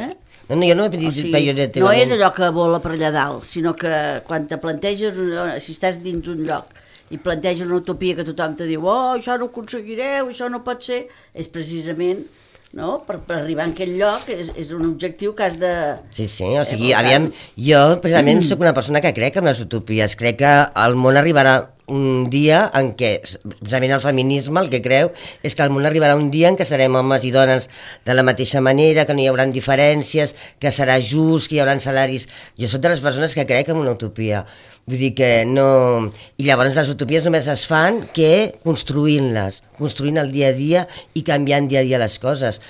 No, jo no he dit pejoratiu. No és allò que vola per allà dalt, sinó que quan te planteges, si estàs dins un lloc i planteges una utopia que tothom te diu això no ho aconseguireu, això no pot ser, és precisament... No? Per arribar a aquell lloc és un objectiu que has de... Sí, o sigui, aviam, jo precisament sóc una persona que crec en les utopies, crec que el món arribarà un dia en què, precisament el feminisme el que creu és que el món arribarà un dia en què serem homes i dones de la mateixa manera, que no hi haurà diferències, que serà just, que hi haurà salaris... Jo soc de les persones que crec en una utopia. Vull dir que no... I llavors les utopies només es fan construint-les, construint el dia a dia i canviant dia a dia les coses.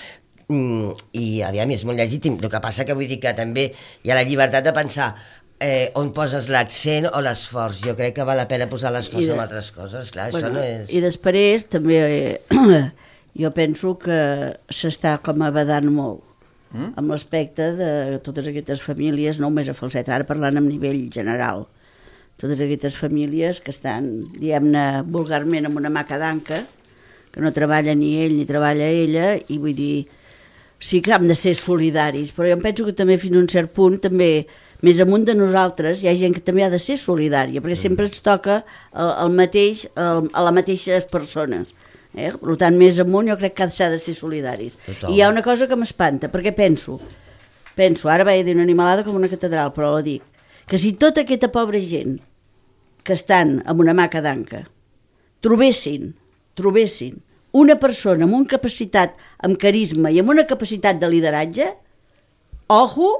I aviam, és molt legítim. El que passa que vull dir que també hi ha la llibertat de pensar on poses l'accent o l'esforç. Jo crec que val la pena posar l'esforç en altres coses, clar, això no és... I després també jo penso que s'està com abadant molt amb l'aspecte de totes aquestes famílies, no només a Falset, ara parlant a nivell general, totes aquestes famílies que estan, diguem-ne, vulgarment amb una maca d'anca, que no treballa ni ell ni treballa ella, i vull dir, sí que hem de ser solidaris, però jo em penso que també fins a un cert punt, també més amunt de nosaltres, hi ha gent que també ha de ser solidària, perquè sempre ens toca el mateix a les mateixes persones. Per tant, més amunt jo crec que s'ha de ser solidaris. Total. I hi ha una cosa que m'espanta, perquè penso, ara vaig dir una animalada com una catedral, però la dic, que si tota aquesta pobra gent que estan amb una maca d'anca trobessin una persona amb una capacitat, amb carisma i amb una capacitat de lideratge, ojo,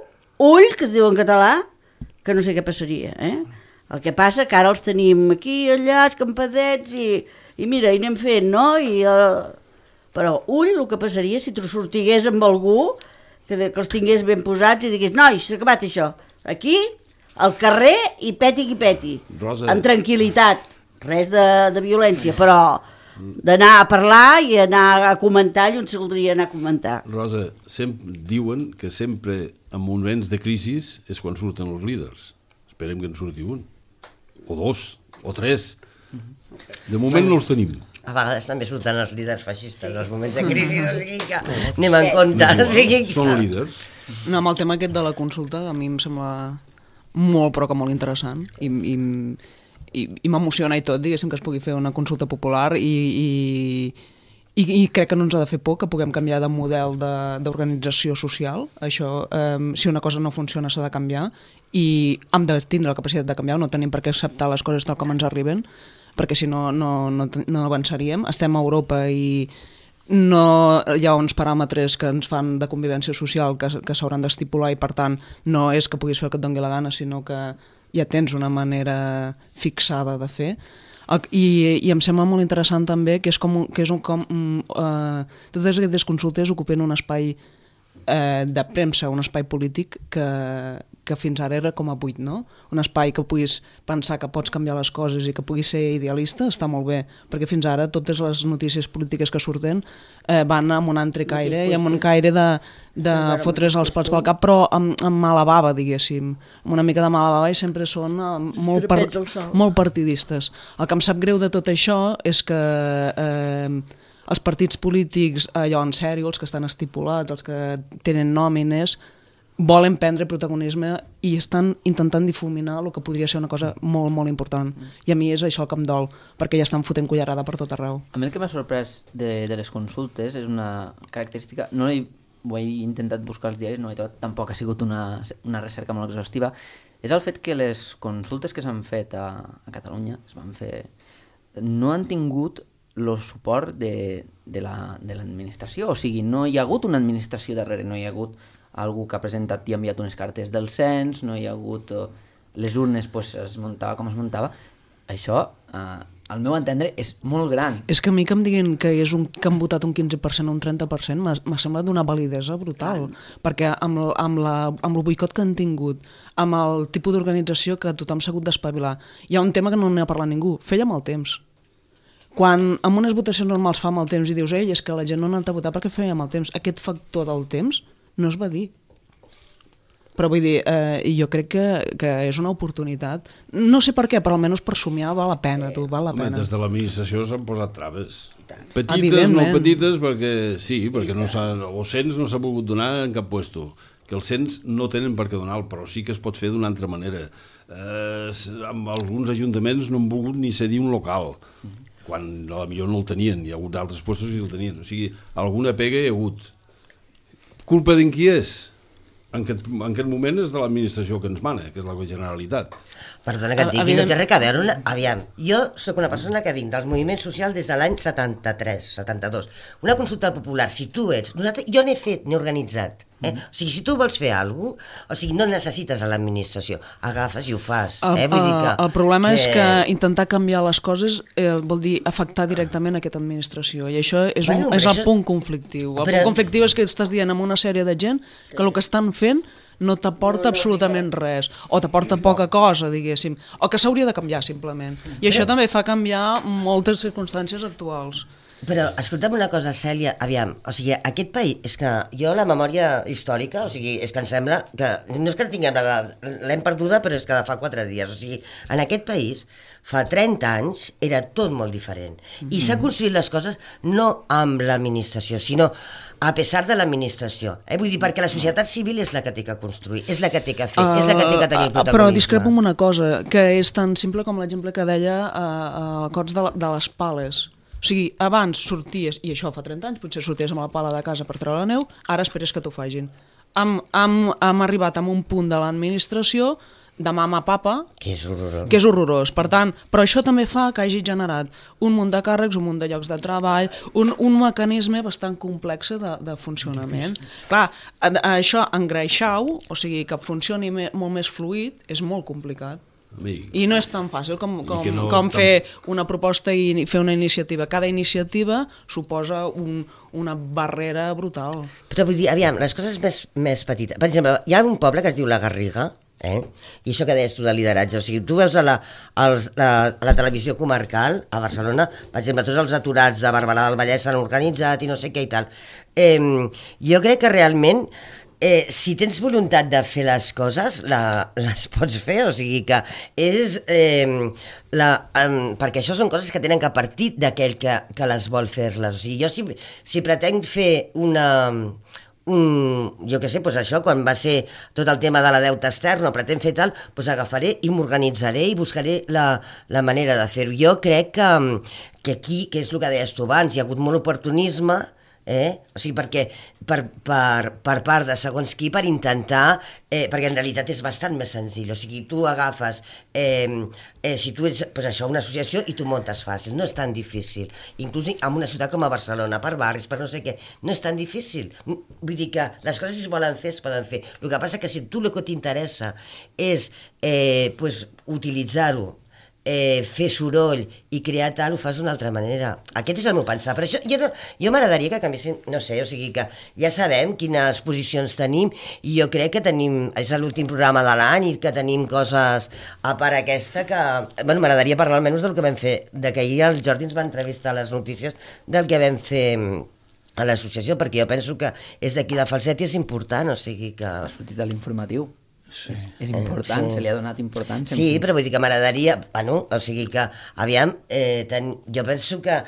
ull, que es diu en català, que no sé què passaria. El que passa que ara els tenim aquí, allà, escampadets, i mira, i anem fent, no? Però ull, el que passaria si tu sortigués amb algú que els tingués ben posats i digués, nois, s'ha acabat això, aquí, al carrer, i peti qui peti, Rosa, amb tranquil·litat, res de violència, però d'anar a parlar i anar a comentar i on s'hauria anar a comentar. Rosa, diuen que sempre en moments de crisi és quan surten els líders. Esperem que en surti un, o dos, o tres. De moment no els tenim. A vegades també surten els líders feixistes en els moments de crisi, o sigui que anem en compte. Són líders. No, amb el tema aquest de la consulta a mi em sembla molt, però que molt interessant i m'emociona i tot, diguéssim, que es pugui fer una consulta popular i crec que no ens ha de fer por que puguem canviar de model d'organització social. Això, si una cosa no funciona s'ha de canviar i hem de tindre la capacitat de canviar, no tenim per què acceptar les coses tal com ens arriben, perquè si no avançaríem. Estem a Europa i no hi ha uns paràmetres que ens fan de convivència social que s'hauran d'estipular i per tant no és que puguis fer el que et doni la gana, sinó que ja tens una manera fixada de fer. I em sembla molt interessant també que totes aquestes consultes ocupen un espai de premsa, un espai polític que fins ara era com a buit, no? Un espai que puguis pensar que pots canviar les coses i que puguis ser idealista està molt bé, perquè fins ara totes les notícies polítiques que surten van amb un altre caire i amb un caire de fotre's els pals pel cap, però amb mala bava, diguéssim, amb una mica de mala bava, i sempre són molt partidistes. El que em sap greu de tot això és que els partits polítics, allò en sèrio, els que estan estipulats, els que tenen nòmines, volen prendre protagonisme i estan intentant difuminar el que podria ser una cosa molt, molt important. I a mi és això el que em dol, perquè ja estan fotent cullerada per tot arreu. A mi el que m'ha sorprès de les consultes és una característica, ho he intentat buscar als diaris, no he trobat, tampoc ha sigut una recerca molt exhaustiva, és el fet que les consultes que s'han fet a Catalunya, no han tingut el suport de l'administració, o sigui, no hi ha hagut una administració darrere, no hi ha hagut algú que ha presentat i ha enviat unes cartes del cens, no hi ha hagut les urnes, es muntava com es muntava. Això, al meu entendre, és molt gran. És que a mi que em diguin que han votat un 15% o un 30% m'ha semblat d'una validesa brutal, perquè amb el boicot que han tingut, amb el tipus d'organització que tothom s'ha hagut d'espavilar, hi ha un tema que no n'ha parlat ningú, feia amb el temps. Quan amb unes votacions normals fa amb el temps i dius, és que la gent no ha anat a votar perquè feia amb el temps, aquest factor del temps no es va dir. Però vull dir, jo crec que és una oportunitat. No sé per què, però almenys per somiar val la pena, val la pena. Des de l'administració s'han posat traves. Petites, no petites, perquè el cens no s'ha volgut donar en cap puesto. Que els cens no tenen per què donar, però sí que es pot fer d'una altra manera. Amb alguns ajuntaments no han volgut ni cedir un local, quan potser no el tenien, hi ha hagut altres puestos que el tenien. O sigui, alguna pega hi ha hagut. Culpa d'en qui és? En aquest moment és de l'administració que ens mana, que és la Generalitat. Perdona que et digui, no té res a veure. Aviam, jo sóc una persona que vinc del moviment social des de l'any 73, 72. Una consulta popular, si tu ets... Jo n'he fet, n'he organitzat. O sigui, si tu vols fer alguna cosa, o sigui, no necessites a l'administració, agafes i ho fas. El problema és que intentar canviar les coses vol dir afectar directament aquesta administració, i això és el punt conflictiu. El punt conflictiu és que estàs dient amb una sèrie de gent que el que estan fent no t'aporta absolutament res, o t'aporta poca cosa, diguéssim, o que s'hauria de canviar simplement. I això també fa canviar moltes circumstàncies actuals. Però, escolta'm una cosa, Cèlia, aviam, o sigui, aquest país, és que jo la memòria històrica, o sigui, és que em sembla que, no és que tinguem l'hem perduda, però és que fa 4 dies, o sigui, en aquest país, fa 30 anys, era tot molt diferent, i s'han construït les coses no amb l'administració, sinó a pesar de l'administració. Vull dir, perquè la societat civil és la que té que construir, és la que té que fer, és la que té que tenir el protagonisme. Però discrepo amb una cosa, que és tan simple com l'exemple que deia a Cots de les pales. O sigui, abans sorties, i això fa 30 anys, potser sorties amb la pala de casa per treure la neu, ara esperes que t'ho facin. Hem arribat a un punt de l'administració de mama a papa, que és horrorós. Per tant, però això també fa que hagi generat un munt de càrrecs, un munt de llocs de treball, un mecanisme bastant complex de funcionament. Clar, això engreixar-ho, o sigui, que funcioni molt més fluid, és molt complicat. I no és tan fàcil com fer una proposta i fer una iniciativa. Cada iniciativa suposa una barrera brutal. Però vull dir, aviam, les coses més petites. Per exemple, hi ha un poble que es diu La Garriga, I això que deies tu de lideratge, o sigui, tu veus a la televisió comarcal a Barcelona, per exemple, tots els aturats de Barberà del Vallès s'han organitzat i no sé què i tal. Jo crec que realment si tens voluntat de fer les coses, les pots fer, o sigui que és... perquè això són coses que tenen que partir d'aquell que les vol fer-les. O sigui, jo si pretenc fer jo què sé, doncs això, quan va ser tot el tema de la deuta externa, pretén fer tal, doncs agafaré i m'organitzaré i buscaré la manera de fer-ho. Jo crec que aquí, que és el que deies tu abans, hi ha hagut molt oportunisme, o sigui, perquè per part de segons qui, per intentar, perquè en realitat és bastant més senzill, o sigui, tu agafes, si tu ets això, una associació i tu muntes fàcil, no és tan difícil, inclús en una ciutat com a Barcelona, per barris, per no sé què, no és tan difícil, vull dir que les coses si es volen fer, es poden fer, el que passa que si tu el que t'interessa és utilitzar-ho, fer soroll i crear tal, ho fas d'una altra manera. Aquest és el meu pensar. Per això jo m'agradaria que canviessin, no sé, o sigui que ja sabem quines posicions tenim i jo crec que és l'últim programa de l'any i que tenim coses a part aquesta que... Bueno, m'agradaria parlar almenys del que vam fer, de que ahir el Jordi ens va entrevistar a les notícies del que vam fer a l'associació, perquè jo penso que és d'aquí de Falset i és important, o sigui que... Ha sortit a l'informatiu. Sí. És important, se li ha donat importància. Sí, però vull dir que m'agradaria, o sigui que, aviam, jo penso que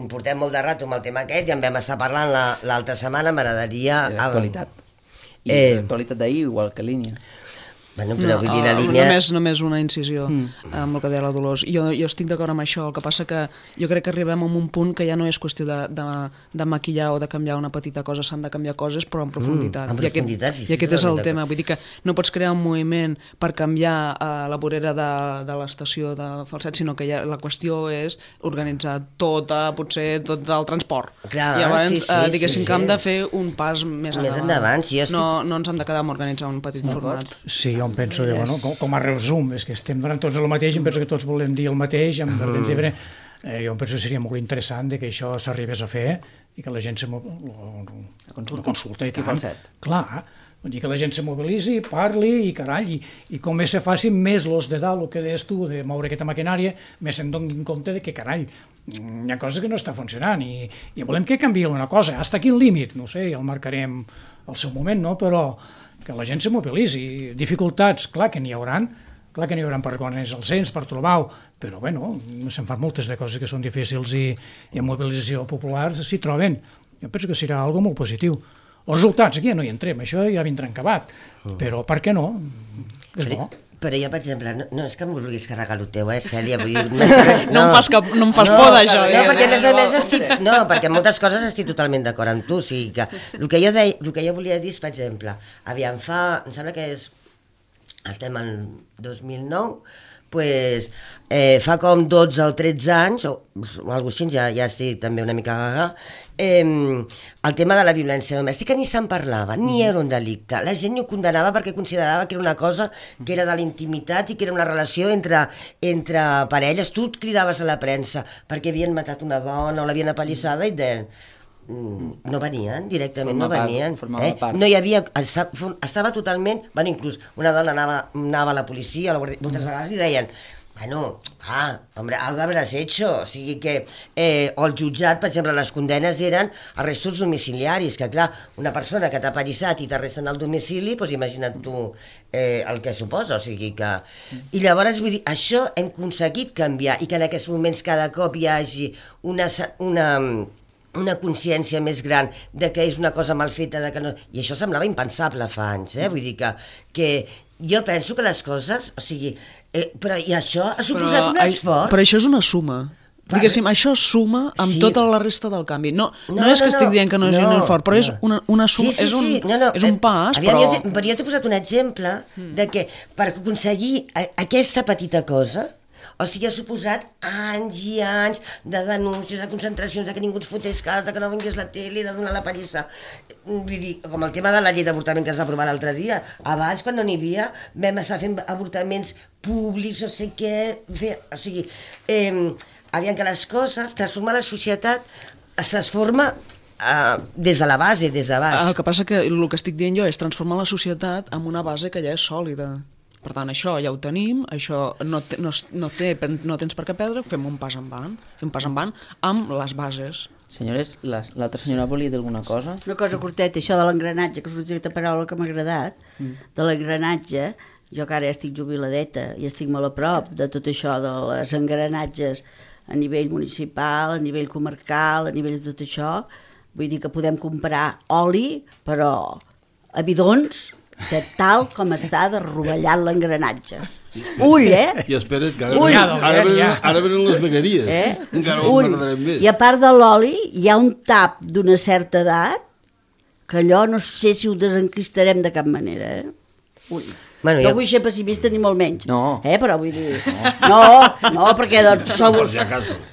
portem molt de rato amb el tema aquest i en vam estar parlant l'altra setmana, m'agradaria... L'actualitat. I l'actualitat d'ahir, igual que línia. Bueno, però vull dir la línia... Només una incisió amb el que deia la Dolors. Jo estic d'acord amb això, el que passa que jo crec que arribem a un punt que ja no és qüestió de maquillar o de canviar una petita cosa, s'han de canviar coses però en profunditat. En profunditat, sí. I aquest és el tema, vull dir que no pots crear un moviment per canviar la vorera de l'estació de Falset, sinó que la qüestió és organitzar potser tot el transport. Clar, i llavors diguéssim que hem de fer un pas més endavant. No ens hem de quedar amb organitzar un petit format. Sí, jo em penso que, bueno, com a resum, és que estem donant tots el mateix, em penso que tots volem dir el mateix, jo em penso que seria molt interessant que això s'arribés a fer i que la gent se consulta i tant. Clar, vull dir que la gent se mobilitzi, parli i carai, i com més se faci, més los de dalt, el que deies tu, de moure aquesta maquinària, més se'n donin compte de que carai, hi ha coses que no està funcionant i volem que canviï una cosa, fins a quin límit, no sé, ja el marcarem al seu moment, no? Però que la gent se mobilitzi. Dificultats, clar que n'hi hauran per reconèixer el cens, per trobar-ho, però bueno, se'n fan moltes de coses que són difícils i en mobilització popular s'hi troben. Jo penso que serà algo molt positiu. Els resultats, aquí ja no hi entrem, això ja vindrà acabat, però per què no? És bo. Però jo, per exemple, no és que em vulguis carregar el teu, Cèlia, vull dir... No em fas por d'això. No, perquè a més perquè en moltes coses estic totalment d'acord amb tu, o sigui que el que jo volia dir és, per exemple, aviam, em sembla que estem en 2009, pues, fa com 12 o 13 anys, o alguna cosa així, ja estic també una mica gaga, el tema de la violència domèstica ni se'n parlava, ni era un delicte. La gent ho condenava perquè considerava que era una cosa que era de la intimitat i que era una relació entre parelles. Tu et cridaves a la premsa perquè havien matat una dona o l'havien apallissada i no venien, directament no venien. No hi havia... Estava totalment... Bueno, inclús una dona anava a la policia moltes vegades i deien hombre, algo habrás hecho. O sigui que o el jutjat, per exemple, les condenes eren arrestos domiciliaris, que clar, una persona que t'ha apallissat i t'arresten al domicili, doncs imagina't tu el que suposa, o sigui que... I llavors, vull dir, això hem aconseguit canviar i que en aquests moments cada cop hi hagi una consciència més gran de que és una cosa mal feta, de que no... I això semblava impensable fa anys, vull dir que jo penso que les coses, o sigui, però i això ha suposat un esforç. Però això és una suma. Diguéssim, això suma amb tota la resta del canvi. No és que estic dient que no és un esforç, però és una suma, és un pas, però... Però jo t'he posat un exemple de que per aconseguir aquesta petita cosa, o sigui, ha suposat anys i anys de denúncies, de concentracions, de que ningú ens fotés cas, de que no vingués la tele, de donar la pallissa. Vull dir, com el tema de la llei d'avortament que es va aprovar l'altre dia. Abans, quan no n'hi havia, vam estar fent avortaments públics, no sé què... O sigui, aviam que les coses, transformar la societat, es transforma des de la base, des de baix. El que passa que el que estic dient jo és transformar la societat amb una base que ja és sòlida. Per tant, això ja ho tenim, això no tens per què perdre, fem un pas endavant amb les bases. Senyores, l'altra senyora volia dir alguna cosa? Una cosa curteta, això de l'engranatge, que és una paraula que m'ha agradat, de l'engranatge, jo que ara ja estic jubiladeta i estic molt a prop de tot això de les engranatges a nivell municipal, a nivell comarcal, a nivell de tot això, vull dir que podem comprar oli, però a bidons, de tal com està de rovellat l'engranatge. Ull, I espera't, que ara venen les vegueries. Encara ho m'agradarem més. I a part de l'oli, hi ha un tap d'una certa edat que allò no sé si ho desenquistarem de cap manera. Ull. Bueno, no vull ser pessimista ni molt menys, però vull dir... No, perquè doncs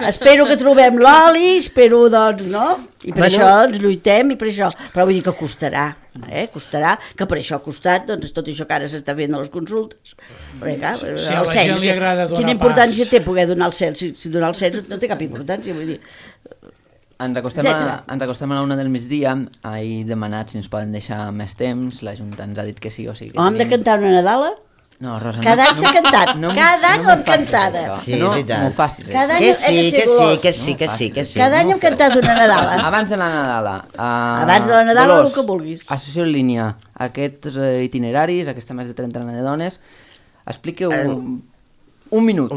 espero que trobem l'oli, espero doncs, no? I per això doncs lluitem i per això... Però vull dir que costarà, costarà, que per això ha costat doncs tot això que ara s'està fent a les consultes. Perquè clar, el cens, quina importància té poder donar el cens? Si donar el cens no té cap importància, vull dir... Ens acostem a la 1 del migdia. He demanat si ens poden deixar més temps. La Junta ens ha dit que sí o sí. Hem de cantar una Nadala? No, Rosa, cada any s'ha cantat, cada any l'hem cantada. Sí, és veritat. No m'ho facis. Que sí. Cada any hem cantat una Nadala. Abans de la Nadala. Abans de la Nadala, el que vulguis. Associació en línia, aquests itineraris, aquesta més de 30 de dones, expliqueu... Un minut.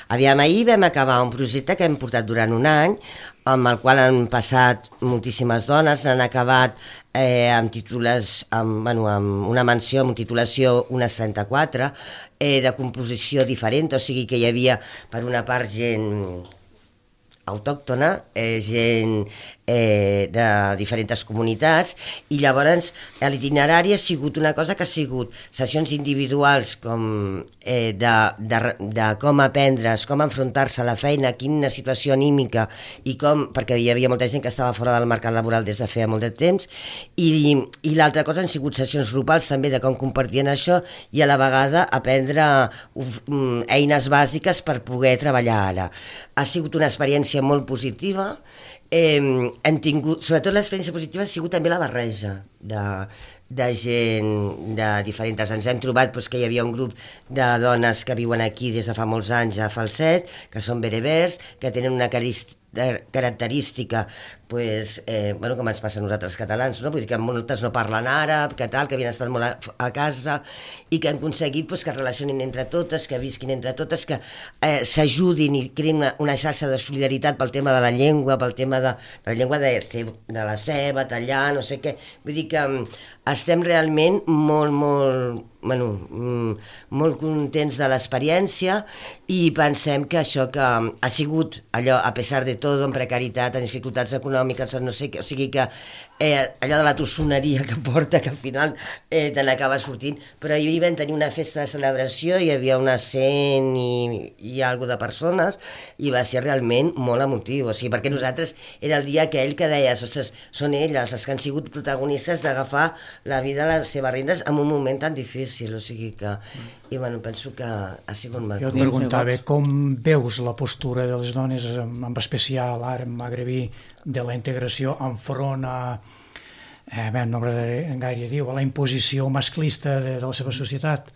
Aviam, ahir vam acabar un projecte que hem portat durant un any, amb el qual han passat moltíssimes dones, han acabat amb títols, amb una menció, amb titulació unes 34, de composició diferent, o sigui que hi havia, per una part, gent autòctona, gent de diferents comunitats, i llavors l'itinerari ha sigut una cosa que ha sigut sessions individuals com de com aprendre's, com enfrontar-se a la feina, quina situació anímica i com, perquè hi havia molta gent que estava fora del mercat laboral des de feia molt de temps, i l'altra cosa han sigut sessions grupals també de com compartien això i a la vegada aprendre eines bàsiques per poder treballar ara. Ha sigut una experiència molt positiva. Hem tingut, sobretot l'experiència positiva ha sigut també la barreja de gent de diferents. Ens hem trobat que hi havia un grup de dones que viuen aquí des de fa molts anys a Falset, que són berebers, que tenen una característica com ens passa a nosaltres catalans, no? Vull dir que moltes no parlen àrab, que havien estat molt a casa i que han aconseguit que es relacionin entre totes, que visquin entre totes, que s'ajudin i creïn una xarxa de solidaritat pel tema de la llengua, pel tema de la llengua de la ceba, tallar, no sé què. Vull dir que estem realment molt contents de l'experiència i pensem que això que ha sigut allò, a pesar de tot, amb precarietat, amb dificultats econòmiques, no sé què, o sigui que allò de la tossoneria que porta, que al final te n'acaba sortint, però ahir vam tenir una festa de celebració, hi havia unes 100 i alguna de persones, i va ser realment molt emotiu, o sigui, perquè nosaltres era el dia aquell que deies, ostres, són elles les que han sigut protagonistes d'agafar la vida a les seves rendes en un moment tan difícil, o sigui que, i bueno, penso que ha sigut molt... Jo et preguntava, com veus la postura de les dones, en especial ara en magrebí, de la integració enfront a, no m'agradaria gaire dir, a la imposició masclista de la seva societat?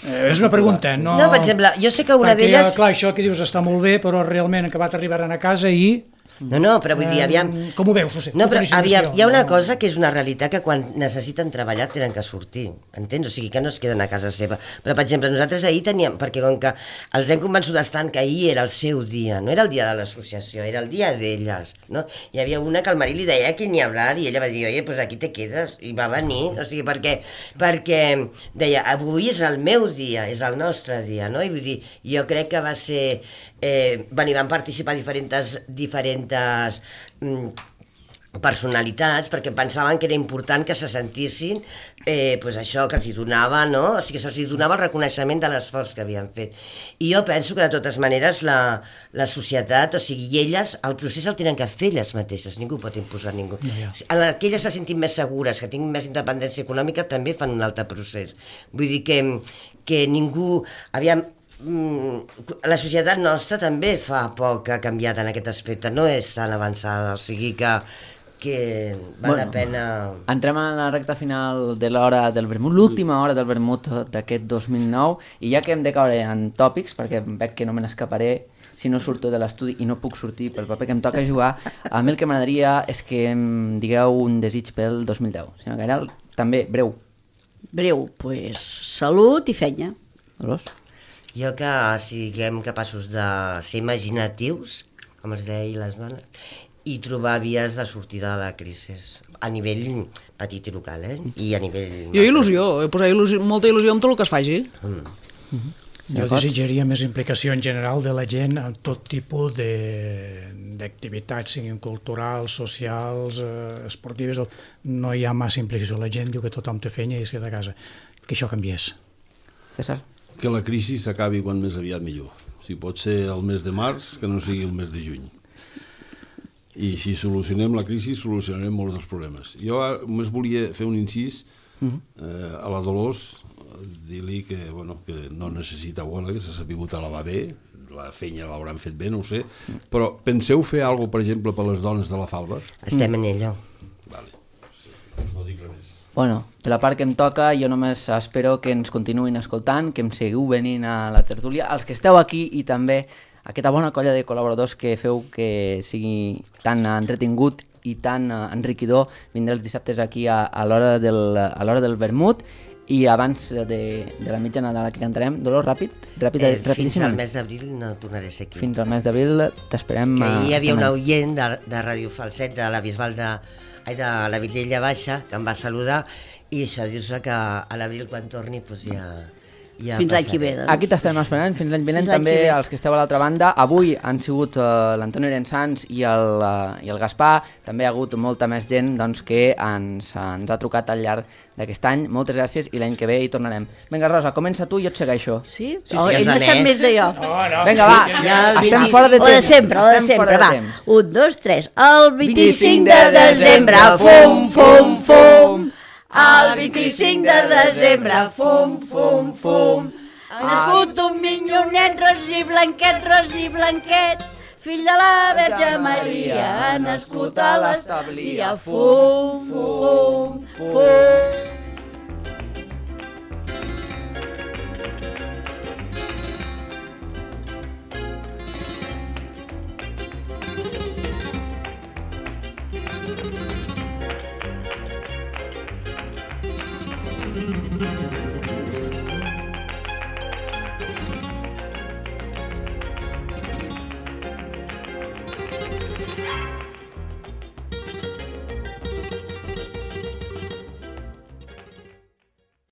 És una pregunta, no... No, per exemple, jo sé que una d'elles... Clar, això que dius està molt bé, però realment han acabat arribant a casa i... No, però vull dir, aviam... Com ho veus? No, però aviam, hi ha una cosa que és una realitat que quan necessiten treballar tenen que sortir, entens? O sigui, que no es queden a casa seva. Però, per exemple, nosaltres ahir teníem, perquè com que els hem convençut estant que ahir era el seu dia, no era el dia de l'associació, era el dia d'elles, no? Hi havia una que el marit li deia que ni hablar, i ella va dir, oye, pues aquí te quedes, i va venir, o sigui, perquè deia, avui és el meu dia, és el nostre dia, no? I vull dir, jo crec que va ser... van participar diferents personalitats perquè pensaven que era important que se sentissin això que els hi donava, no? O sigui, que se'ls donava el reconeixement de l'esforç que havien fet. I jo penso que de totes maneres la societat, o sigui, elles el procés el tenen que fer elles mateixes, ningú pot imposar ningú. Que elles se sentin més segures, que tinguin més independència econòmica, també fan un altre procés. Vull dir que ningú... Aviam, la societat nostra també fa poc que ha canviat en aquest aspecte, no és tan avançada, o sigui que que val la pena... Entrem a la recta final de l'hora del vermut, l'última hora del vermut d'aquest 2009, i ja que hem de caure en tòpics, perquè veig que no me n'escaparé si no surto de l'estudi i no puc sortir pel paper que em toca jugar, a mi el que m'agradaria és que em digueu un desig pel 2010. Senyor Gairel, també, breu. Breu, doncs salut i feina. Dolors? Jo que siguem capaços de ser imaginatius, com els deia les dones, i trobar vies de sortida de la crisi, a nivell petit i local, i a nivell... Jo il·lusió, posar molta il·lusió en tot el que es faci. Jo desitjaria més implicació en general de la gent en tot tipus d'activitats, siguin culturals, socials, esportives. No hi ha massa implicació. La gent diu que tothom té feina i es queda a casa. Que això canviés. César? Que la crisi s'acabi quan més aviat millor. Si pot ser el mes de març, que no sigui el mes de juny. I si solucionem la crisi, solucionarem molts dels problemes. Jo només volia fer un incís a la Dolors, dir-li que no necessita bola, que s'ha sabut alabar bé, la feina l'hauran fet bé, no ho sé, però penseu fer alguna cosa, per exemple, per les dones de la Falva? Estem en ella. Vale. No dic res més. Bueno, per la part que em toca, jo només espero que ens continuïn escoltant, que em seguiu venint a la tertúlia, els que esteu aquí i també aquesta bona colla de col·laboradors que feu que sigui tan entretingut i tan enriquidor vindre els dissabtes aquí a l'hora del vermut. I abans de la mitjanada que cantarem, Dolors, rapidíssim. Fins al mes d'abril no tornaré a ser aquí. Fins al mes d'abril t'esperem. Que hi havia un oient de Ràdio Falset de la Bisbal de la Vilella Baixa que em va saludar i això dius que a l'abril quan torni ja fins l'any que ve, doncs. Aquí t'estem esperant, fins l'any vinent també els que esteu a l'altra banda. Avui han sigut l'Antoni Arensans i el Gaspar, també hi ha hagut molta més gent que ens ha trucat al llarg d'aquest any. Moltes gràcies i l'any que ve hi tornarem. Vinga, Rosa, comença tu i jo et segueixo. Sí? Ell no sap més de jo. Vinga, va, estem fora de temps. O de sempre, va. 1, 2, 3. El 25 de desembre, fum, fum, fum. El 25 de desembre, fum, fum, fum. Ha nascut un minyonet ros i blanquet, fill de la Verge Maria, ha nascut a l'establia, fum, fum, fum.